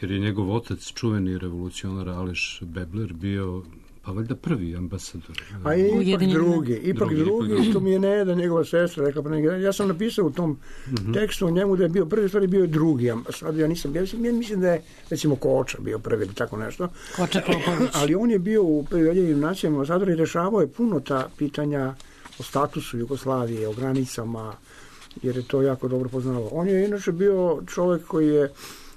jer je njegov otac, čuveni revolucionar Aleš Bebler, bio pa valjda prvi ambasador. A je ipak drugi, ipak drugi, drugi, ipak što mi je Neda, njegova sestra, rekla, pa ja sam napisao u tom uh-huh. tekstu o njemu da je bio prvi, stvari bio je drugi ambasador, ja nisam bio, ja mislim da je, recimo, Koča bio prvi ili tako nešto. Koča Popović. Ali on je bio u Ujedinjenim nacijama ambasador i rešavao je puno ta pitanja o statusu Jugoslavije, o granicama, jer je to jako dobro poznavao. On je inače bio čovjek koji je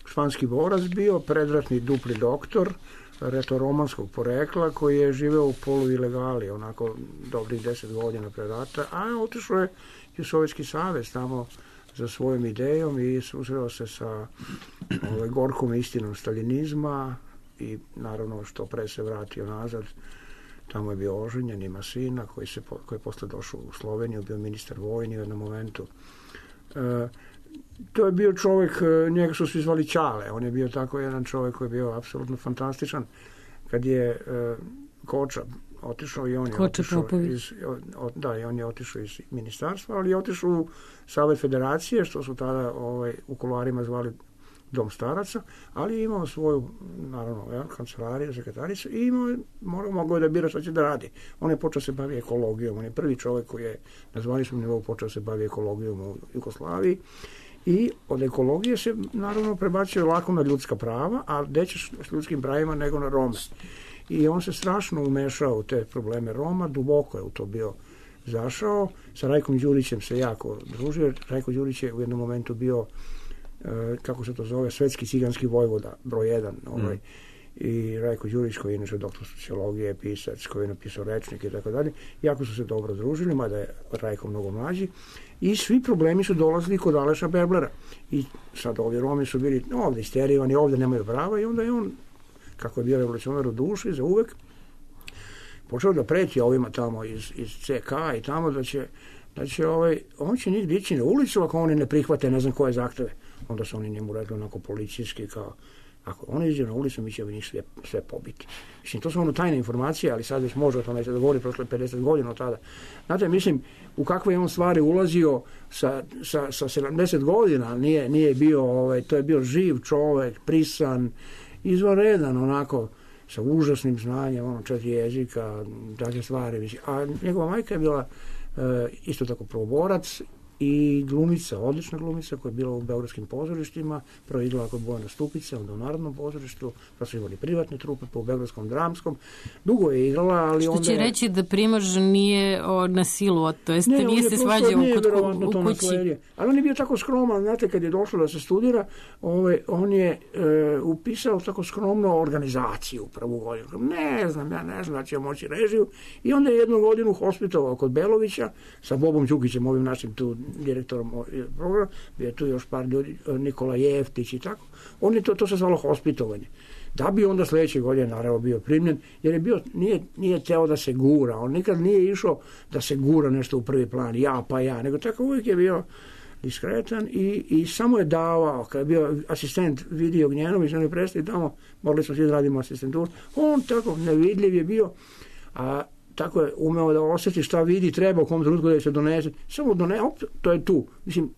španski borac bio, predratni dupli doktor, retoromanskog porekla, koji je živeo u polu ilegali, onako dobrih deset godina pre rata, a otišao je u Sovjetski savez tamo za svojom idejom i susreo se sa ovaj, gorkom istinom staljinizma i naravno što pre se vratio nazad. Tamo je bio oženjen, ima sina koji, se, koji je posle došao u Sloveniju, bio ministar vojni u jednom momentu. E, to je bio čovjek, njega su svi zvali Ćale, on je bio tako jedan čovjek koji je bio apsolutno fantastičan. Kad je e, Koča otišao i on je Koča otišao iz, o, da, i on je otišao iz ministarstva, ali je otišao u Savet Federacije, što su tada ovaj, u kuloarima zvali Dom staraca, ali je imao svoju, naravno, ja, kancelariju, sekretaricu i imao, morao, mogao je da bira šta će da radi. On je počeo se bavi ekologijom, on je prvi čovjek koji je na zvaničnom nivou počeo se bavi ekologijom u Jugoslaviji i od ekologije se, naravno, prebacio lako na ljudska prava, a gde ćeš s ljudskim pravima nego na Rome. I on se strašno umešao u te probleme Roma, duboko je u to bio zašao. Sa Rajkom Đurićem se jako družio. Rajko Đurić je u jednom momentu bio kako se to zove, svetski ciganski vojvoda, broj jedan, ovaj, mm. i Rajko Đurić, koji je inače doktor sociologije, pisac, koji je napisao rečnik i tako dalje, jako su se dobro družili, mada je Rajko mnogo mlađi, i svi problemi su dolazili kod Aleša Beblera. I sad ovi Romi su bili ovdje isterijani, ovdje nemaju prava, i onda je on, kako je bio revolucionar u duši, za uvek, počeo da preti ovima tamo iz, iz C K i tamo da će, da će ovaj, on će njih dići na ulicu ako oni ne prihvate ne znam koje zahteve. Onda su oni njemu rekli onako policijski kao, ako oni iđe na ulicu, mi ćemo njih sve, sve pobiti. Mislim, to su ono tajne informacije, ali sad već može o tome se dogovori prošle pedeset godina od tada. Znate, mislim, u kakve je on stvari ulazio sa, sa, sa sedamdeset godina, nije, nije bio, ovaj, to je bio živ čovek, prisan, izvanredan, onako, sa užasnim znanjem, ono, četiri jezika, takve stvari. Mislim. A njegova majka je bila e, isto tako prvoborac, i glumica, odlična glumica koja je bila u beogradskim pozorištima, prvo je igrala kod Bojana Stupice, onda u Narodnom pozorištu, pa su imali privatne trupe po beogradskom dramskom. Dugo je igrala, ali što onda... Što će reći da Primož nije o, na silu, to jest ne, nije se svađao u, u kući. Ali on je bio tako skroman, znate, kad je došlo da se studira, ovaj, on je e, upisao tako skromno organizaciju prvu godinu. Ne znam, ja ne znam da će moći režiju. I onda je jednu godinu hospitovao kod Belovića sa Bobom Đukićem, ovim našim tu direktorom programa, bio je tu još par ljudi, Nikola Jeftić i tako. On je to, to se zvalo hospitovanje. Da bi onda sljedeće godine naravno bio primljen, jer je bio, nije, nije teo da se gura, on nikad nije išao da se gura nešto u prvi plan, ja pa ja, nego tako uvijek je bio diskretan i, i samo je davao, kad je bio asistent Vidio Gnjenović, on je prestao tamo, morali smo svi da radimo asistenturu, on tako nevidljiv je bio, a tako je umeo da osjeti šta vidi, treba u kom trenutku da se donese. Samo donese, op, to je tu. Mislim,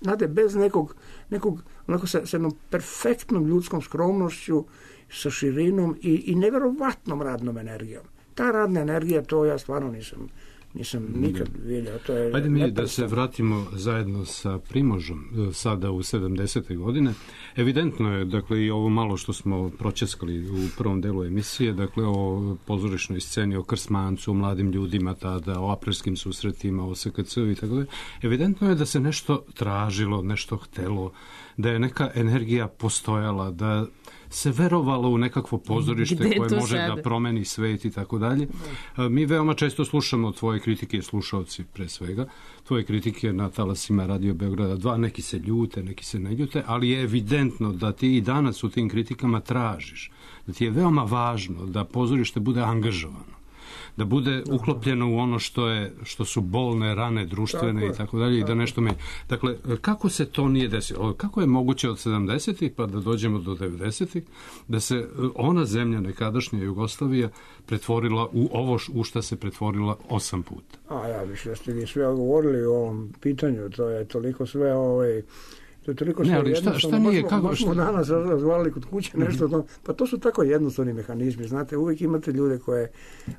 znate, bez nekog, nekog onako sa, sa jednom perfektnom ljudskom skromnošću, sa širinom i, i neverovatnom radnom energijom. Ta radna energija, to ja stvarno nisam, nisam nikad vidio. To je Hajde mi da se vratimo zajedno sa Primožom, sada u sedamdesete godine. Evidentno je, dakle, i ovo malo što smo pročeskali u prvom delu emisije, dakle, o pozorišnoj sceni, o Krsmancu, o mladim ljudima tada, o aprilskim susretima, o S K C i tako da. Evidentno je da se nešto tražilo, nešto htelo, da je neka energija postojala, da se verovalo u nekakvo pozorište Gde koje može sada da promeni svet i tako dalje. Mi veoma često slušamo tvoje kritike, slušalci pre svega, tvoje kritike na talasima Radio Beograda dva, neki se ljute, neki se ne ljute, ali je evidentno da ti i danas u tim kritikama tražiš, da ti je veoma važno da pozorište bude angažovano, da bude uklopljeno u ono što je što su bolne rane društvene tako i tako dalje i da nešto me. Dakle, kako se to nije desilo? Kako je moguće od sedamdesetih pa da dođemo do devedesetih da se ona zemlja nekadašnja Jugoslavija pretvorila u ovo u šta se pretvorila osam puta? A ja mislim da ste vi sve govorili o ovom pitanju, to je toliko sve ovaj to je toliko sve ne, ali šta, šta nije, baš, kako, baš smo šta? danas razgovarali kod kuće nešto, mm-hmm. pa to su tako jednostavni mehanizmi, znate, uvijek imate ljude koje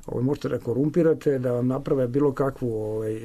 ovaj, možete da korumpirate, da vam naprave bilo kakvu ovaj,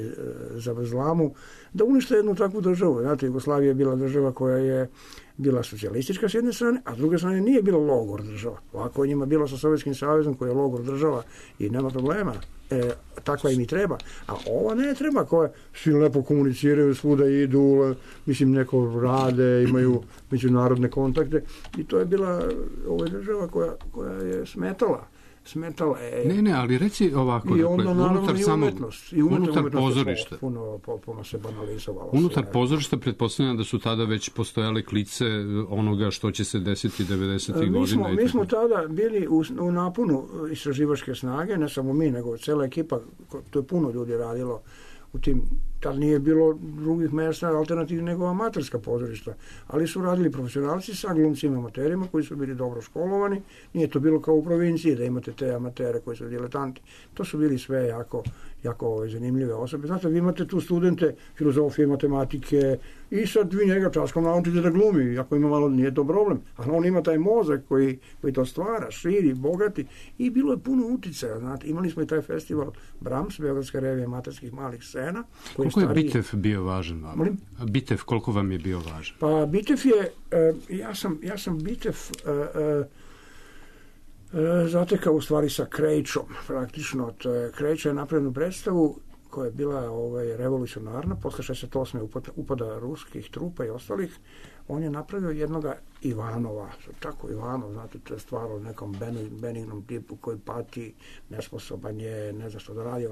zavrzlamu, da unište jednu takvu državu. Znate, Jugoslavija je bila država koja je bila socijalistička s jedne strane, a s druge strane nije bila logor država. Ovako je njima bilo sa Sovjetskim savezom koji je logor država i nema problema. E, takva im i treba. A ova ne treba, koja svi lepo komuniciraju, svuda idu, mislim, neko rade, imaju međunarodne kontakte i to je bila ova država koja, koja je smetala. Smetala je. Ne, ne, ali reci ovako, i onda, dakle, unutar i samog, umetnost, i umetnost, unutar pozorišta. Puno, puno, puno se banalizovalo. Unutar sve. pozorišta pretpostavljam da su tada već postojale klice onoga što će se desiti devedesetih mi smo, godina. Mi smo tada bili u, u napunu istraživačke snage, ne samo mi, nego cela ekipa, to je puno ljudi radilo u tim, tad nije bilo drugih mesta alternativnih nego amaterska pozorišta, ali su radili profesionalci sa glumcima amaterima koji su bili dobro školovani, nije to bilo kao u provinciji da imate te amatere koji su diletanti, to su bili sve jako, jako ove, zanimljive osobe. Znate, vi imate tu studente filozofije, matematike i sad vi njega časkom naučite da glumi, ako ima malo, nije to problem, ali on ima taj mozak koji, koji to stvara, širi, bogati i bilo je puno uticaja, znate, imali smo i taj festival Brahms, Beogradska revija amaterskih malih scena. Koliko je Bitev bio važan vam? Molim? Bitev, koliko vam je bio važan? Pa Bitev je, e, ja sam, ja sam Bitev e, e, e, zatekao u stvari sa Krejčom, praktično. To je, Krejča je napravljenu predstavu koja je bila ovaj, revolucionarna, posle šezdeset osme upada, upada ruskih trupa i ostalih. On je napravio jednoga Ivanova, tako Ivanov, znate, to je stvar o nekom benignom tipu koji pati, nesposoban je, ne zna što da radi,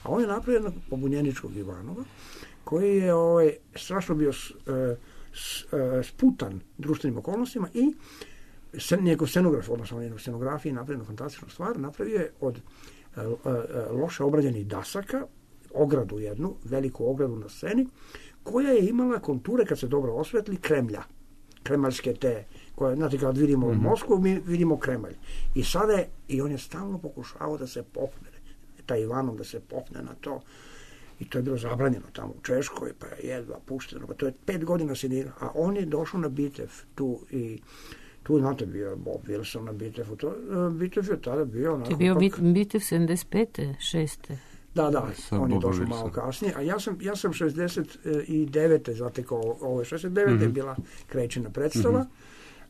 a on je napravio jednog pobunjeničkog Ivanova, koji je ovaj, strašno bio s, s, sputan društvenim okolnostima i sen, njegov scenograf, odnosno njegov scenografiji napravio fantastičnu stvar, napravio je od a, a, loše obrađenih dasaka, ogradu jednu, veliku ogradu na sceni, koja je imala konture, kad se dobro osvetli, Kremlja. Kremaljske te, koje, znate, kad vidimo mm-hmm. Moskvu, mi vidimo Kremalj. I sada je, i on je stalno pokušavao da se popne, taj Ivanov da se popne na to. I to je bilo zabranjeno tamo u Češkoj, pa je jedva pušteno. Pa to je pet godina se nije, a on je došao na Bitev tu i tu, znate, bio Bob Wilson na Bitevu. To, Bitev je tada bio onako... To je bio pak... Bitev sedamdeset pete, šeste Da, da, on je došao malo kasnije, a ja sam, ja sam šezdeset devete zatekao, ovo je šezdeset devete mm-hmm. je bila Krejčina predstava, mm-hmm.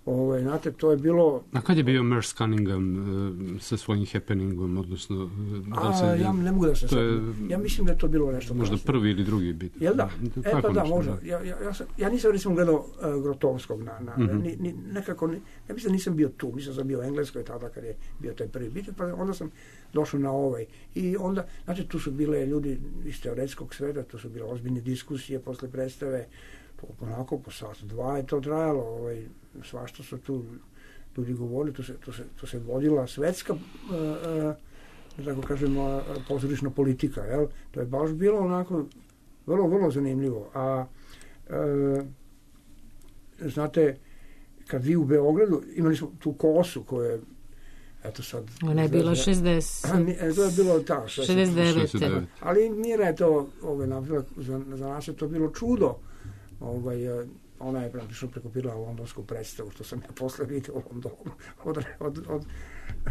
ovo, znate, to je bilo... A kad je bio Merce Cunningham uh, sa svojim happeningom, odnosno... Da se, a, ja ne mogu da se sad... Je, ja mislim da je to bilo nešto možda kasnije. Prvi ili drugi bit. Jel da? da e pa da, nešto, možda. Da. Ja, ja, ja, sam, ja nisam recimo gledao uh, Grotovskog na... na mm-hmm. ni, ni, nekako, ni, ja mislim da nisam bio tu, mislim da sam bio u Engleskoj tada kad je bio taj prvi bit, pa onda sam došao na ovaj. I onda, znači, tu su bile ljudi iz teoretskog sveta, tu su bile ozbiljne diskusije posle predstave, onako po sat, dva je to trajalo, ovaj, svašta su tu ljudi govorili, tu se, tu se, tu se vodila svetska, uh, uh, tako kažemo, pozorišna politika, jel? To je baš bilo onako vrlo, vrlo zanimljivo. A, uh, znate, kad vi u Beogradu, imali smo tu kosu koja je, eto sad... Ona je bila šezdeset. To je bilo tako, šezdeset devet. Ali Mira je to, ovaj, za, za nas je to bilo čudo. Ovaj, ona je praktično prekopirala londonsku predstavu, što sam ja posle vidio u Londonu. Od, od, od,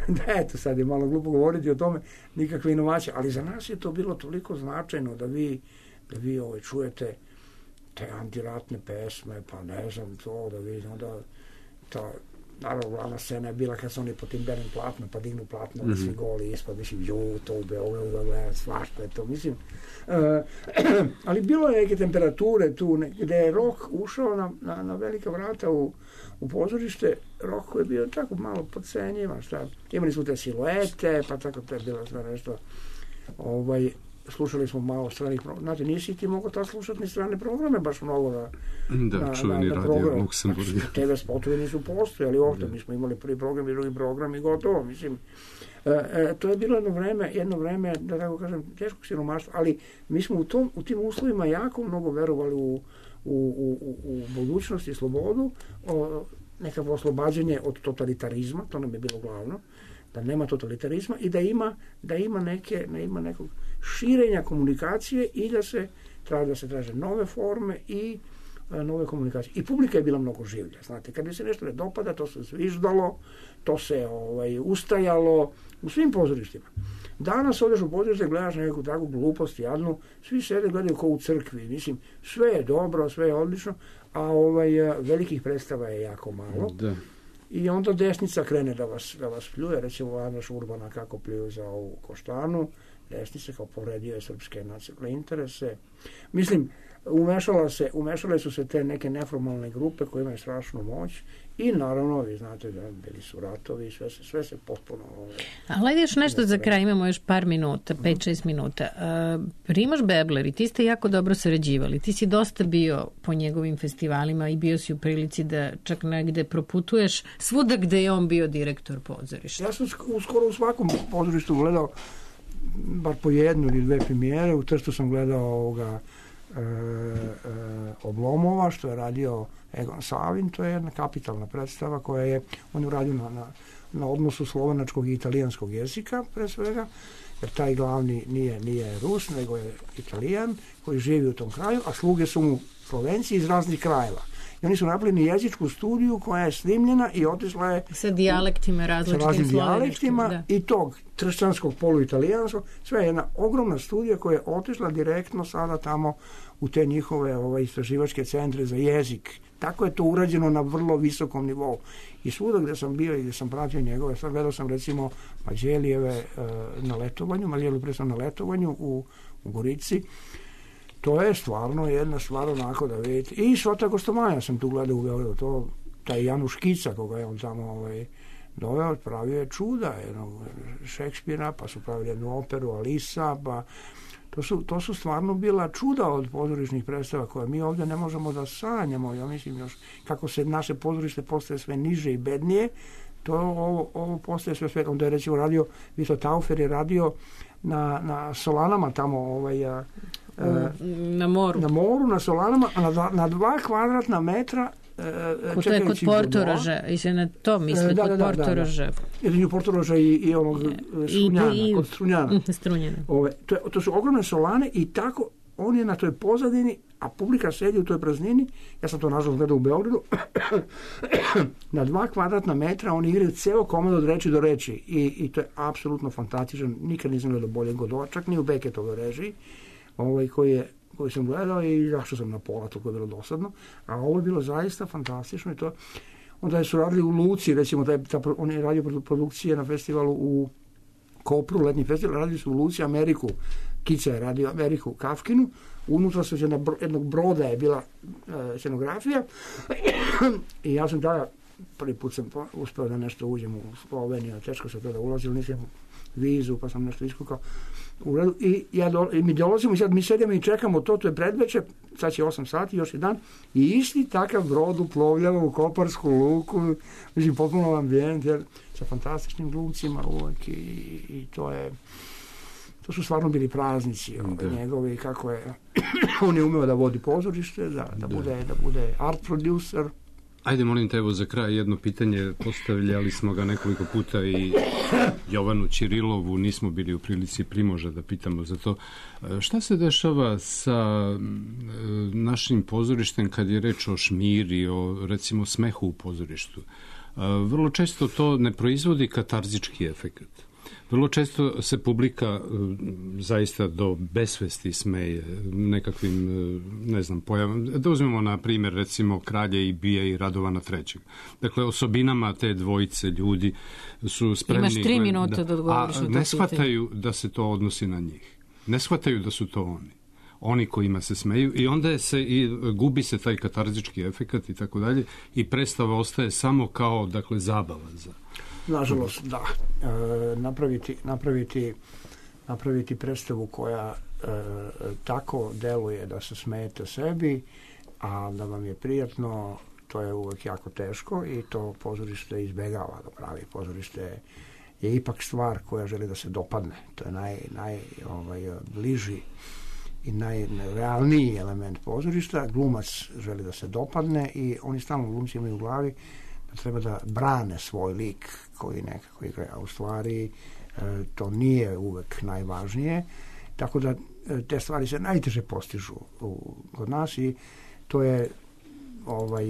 da, eto, sad je malo glupo govoriti o tome, nikakve inovacije, ali za nas je to bilo toliko značajno da vi, da vi ovaj, čujete te antiratne pesme, pa ne znam to, da vi onda ta, naravno, glavna scena je bila kad su oni po tim belim platnom, pa dignu platno, mm-hmm. da svi goli ispod, mislim, ju, to u Beogradu, da gleda, svašta je to, mislim. Uh, ali bilo je neke temperature tu, ne, gde je rok ušao na, na, na velika vrata u, u pozorište, rok koji je bio tako malo podcenjivan, šta, imali smo te siluete, pa tako to je bilo sve nešto, ovaj, slušali smo malo stranih programa. Znate, nisi ti mogao ta slušati ni strane programe, baš mnogo na, da, na, čuveni na, na radio Luksemburg. Znači, te ve spotovi nisu postojali ovdje. Mi smo imali prvi program i drugi program i gotovo. Mislim, e, e, to je bilo jedno vreme, jedno vreme, da tako kažem, teškog siromaštva, ali mi smo u, tom, u tim uslovima jako mnogo verovali u, u, u, u budućnost i slobodu, o, nekako oslobađanje od totalitarizma, to nam je bilo glavno, da nema totalitarizma i da ima, da ima, neke, da ima nekog širenja komunikacije i da se traže, da se traže nove forme i a, nove komunikacije. I publika je bila mnogo življa, znate, kad bi se nešto ne dopada, to se zviždalo, to se ovaj, ustajalo u svim pozorištima. Danas odeš u pozorište, gledaš neku takvu glupost jadnu, svi sede gledaju kao u crkvi, mislim, sve je dobro, sve je odlično, a ovaj, velikih predstava je jako malo. Da. I onda desnica krene da vas, da vas pljuje, recimo Anaš Urbana kako pljuju za ovu Koštanu, desnica kao povredio je srpske nacionalne interese. Mislim, umešala se, umešale su se te neke neformalne grupe koje imaju strašnu moć i naravno, vi znate da bili su ratovi, sve se, sve se potpuno... Ove, ali ajde još nešto za kraj, imamo još par minuta, pet šest minuta. Uh, Primož Bebler i ti ste jako dobro sarađivali. Ti si dosta bio po njegovim festivalima i bio si u prilici da čak negde proputuješ svuda gde je on bio direktor pozorišta. Ja sam skoro u svakom pozorištu gledao bar po jednu ili dve premijere. U Trstu sam gledao ovoga e, e, Oblomova, što je radio Egon Savin. To je jedna kapitalna predstava koja je, on je uradio na, na, na odnosu slovenačkog i italijanskog jezika, pre svega, jer taj glavni nije, nije Rus, nego je Italijan koji živi u tom kraju, a sluge su mu Slovenci iz raznih krajeva. I oni su napravili jezičku studiju koja je snimljena i otišla je sa dijalektima, različitim dijalektima i tog tršćanskog poluitalijanskog. Sve je jedna ogromna studija koja je otišla direktno sada tamo u te njihove ovaj, istraživačke centre za jezik. Tako je to urađeno na vrlo visokom nivou. I svuda gdje sam bio i gdje sam pratio njegove, sad gledao sam recimo Mađelijeve uh, na letovanju, Mađelijeve presam na letovanju u, u Gorici. To je stvarno jedna stvar onako da vidite. I Šota Kostomaja sam tu gledao u Beogradu. To, taj Januš Kica, koga je on tamo ovaj, doveo, pravio je čuda jednog Šekspira, pa su pravili jednu operu Alisa, pa to su, to su stvarno bila čuda od pozorišnih predstava koje mi ovdje ne možemo da sanjamo. Ja mislim još kako se naše pozorište postaje sve niže i bednije, to ovo, ovo postaje sve sve. Onda je recimo radio, Vito Taufer je radio na, na Solanama tamo ovaj, a, na moru. Na moru, na Solanama, a na dva, na dva kvadratna metra Ko to je kod Portoroža, i se na to misli, da, kod da, Portoroža. Jedinju Portoroža i, i onog Strunjana, i, i, kod Strunjana. Strunjana. Ove, to, je, to su ogromne solane i tako on je na toj pozadini, a publika sedi u toj praznini. Ja sam to nažalost gledao u Beogradu. Na dva kvadratna metra oni igraju ceo komad od reči do reči i, i to je apsolutno fantastičan. Nikad nisam gledao bolje godova, čak ni u Beketovoj režiji, ovaj, koji je koji sam gledao i zašto sam na pola, to je bilo dosadno, a ovo je bilo zaista fantastično i to, onda je su radili u Luci, recimo, taj, ta, on je radio produkcije na festivalu u Kopru, letnji festival, radili su u Luci Ameriku, Kica je radio Ameriku u Kafkinu, unutra su jedna, jednog broda je bila e, scenografija i ja sam tada, prvi put sam uspeo da nešto uđem u Sloveniju, teško se to da ulazim, nisam vizu, pa sam nešto iskukao. U redu. I, ja do, i mi dolazimo i sad mi sedemo i čekamo to, to je predveče, sad će osam sati, još jedan, i isti takav brod uplovljava u Koparsku luku, mislim, potpuno ambijent, jer, sa fantastičnim glumcima uvijek i, i to je, to su stvarno bili praznici ove, njegovi, kako je, on je umeo da vodi pozorište, da, da, bude, da bude art producer. Ajde, molim te, evo za kraj jedno pitanje, postavljali smo ga nekoliko puta i Jovanu Ćirilovu, nismo bili u prilici Primoža da pitamo za to. Šta se dešava sa našim pozorištem kad je reč o šmiri, o recimo smehu u pozorištu? Vrlo često to ne proizvodi katarzički efekat. Vrlo često se publika zaista do besvesti smeje nekakvim, ne znam, pojavama. Da uzmemo na primjer recimo Kralje i Bija i Radovana trećeg. Dakle, osobinama te dvojice ljudi su spremni... Imaš tri minuta da, da odgovoriš. A ne shvataju da se to odnosi na njih. Ne shvataju da su to oni. Oni kojima se smeju i onda se i gubi se taj katarzički efekat i tako dalje i predstava ostaje samo kao, dakle, zabava za... Nažalost, da. E, napraviti, napraviti, napraviti predstavu koja tako deluje da se smijete sebi, a da vam je prijatno, to je uvek jako teško i to pozorište izbegava da pravi. Pozorište je ipak stvar koja želi da se dopadne. To je naj, naj ovaj, bliži i najrealniji element pozorišta. Glumac želi da se dopadne i oni stalno glumci imaju u glavi da treba da brane svoj lik koji nekako igra, a u stvari to nije uvek najvažnije, tako da te stvari se najteže postižu u, kod nas i to je ovaj,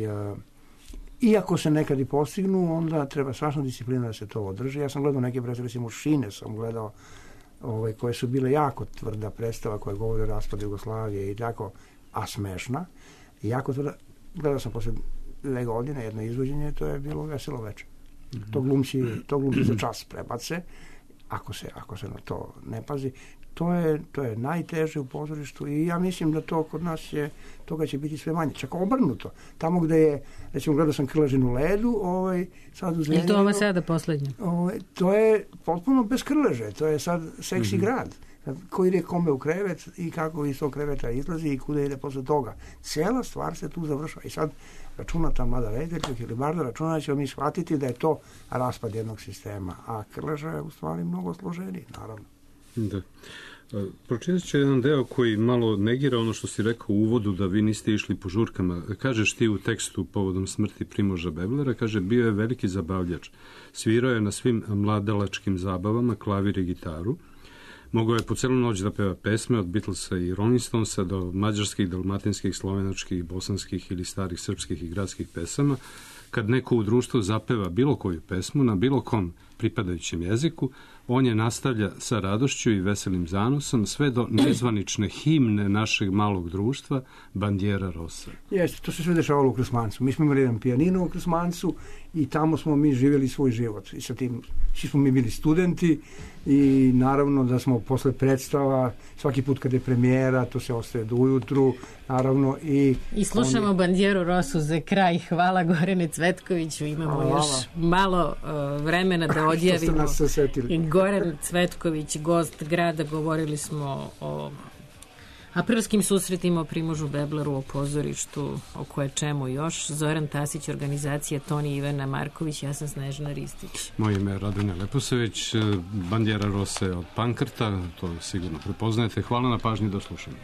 iako se nekad i postignu, onda treba strašna disciplina da se to održi. Ja sam gledao neke predstave, recimo Šine sam gledao, ovaj, koje su bile jako tvrda predstava koja govori o raspadu Jugoslavije i tako, a smešna. I jako tvrda, gledao sam posle dve godine jedno izvođenje, to je bilo Veselo veče. Mm-hmm. To glumci, to glumci za čas prebace, ako se, ako se na to ne pazi. To je, to je najteže u pozorištu i ja mislim da to kod nas je, toga će biti sve manje. Čak obrnuto. Tamo gde je, recimo, gledao sam Krležinu ledu, ovaj, sad u Zrenjaninu. I to ova sada poslednja? Ovaj, to je potpuno bez krleže. To je sad seksi mm-hmm. grad. Ko ide kome u krevet i kako iz tog kreveta izlazi i kuda ide posle toga. Cijela stvar se tu završava. I sad računa ta mlada rediteljka ili barda, računa ćemo mi shvatiti da je to raspad jednog sistema. A krleža je u stvari mnogo složeniji, naravno. Da. Pročitat ću jedan deo koji malo negira ono što si rekao u uvodu da vi niste išli po žurkama. Kažeš ti u tekstu povodom smrti Primoža Beblera, kaže, bio je veliki zabavljač. Svirao je na svim mladalačkim zabavama klavir i gitaru. Mogao je po celu noć da peva pesme od Beatlesa i Rolling Stonesa do mađarskih, dalmatinskih, slovenačkih, bosanskih ili starih srpskih i gradskih pesama. Kad neko u društvu zapeva bilo koju pesmu na bilo kom pripadajućem jeziku, on je nastavlja sa radošću i veselim zanosom sve do nezvanične himne našeg malog društva, Bandiera Rosa. Jeste, to se sve dešavalo u Krsmancu. Mi smo imali jedan pijanino u Krsmancu i tamo smo mi živjeli svoj život. I sa tim, svi smo mi bili studenti i naravno da smo posle predstava, svaki put kad je premijera, to se ostaje do ujutru, naravno i... I slušamo oni... Bandieru Rosu za kraj. Hvala Gorane Cvetkoviću. Imamo Hvala. još malo uh, vremena da odjavimo. I Goran Cvetković, gost grada, govorili smo o aprilskim susretima, o Primožu Bebleru, o pozorištu, o koje čemu još. Zoran Tasić, organizacija Toni Ivana Marković, ja sam Snežana Ristić. Moje ime je Radonja Leposević, Bandiera Rose od Pankrta, to sigurno prepoznajete. Hvala na pažnji, do slušanja.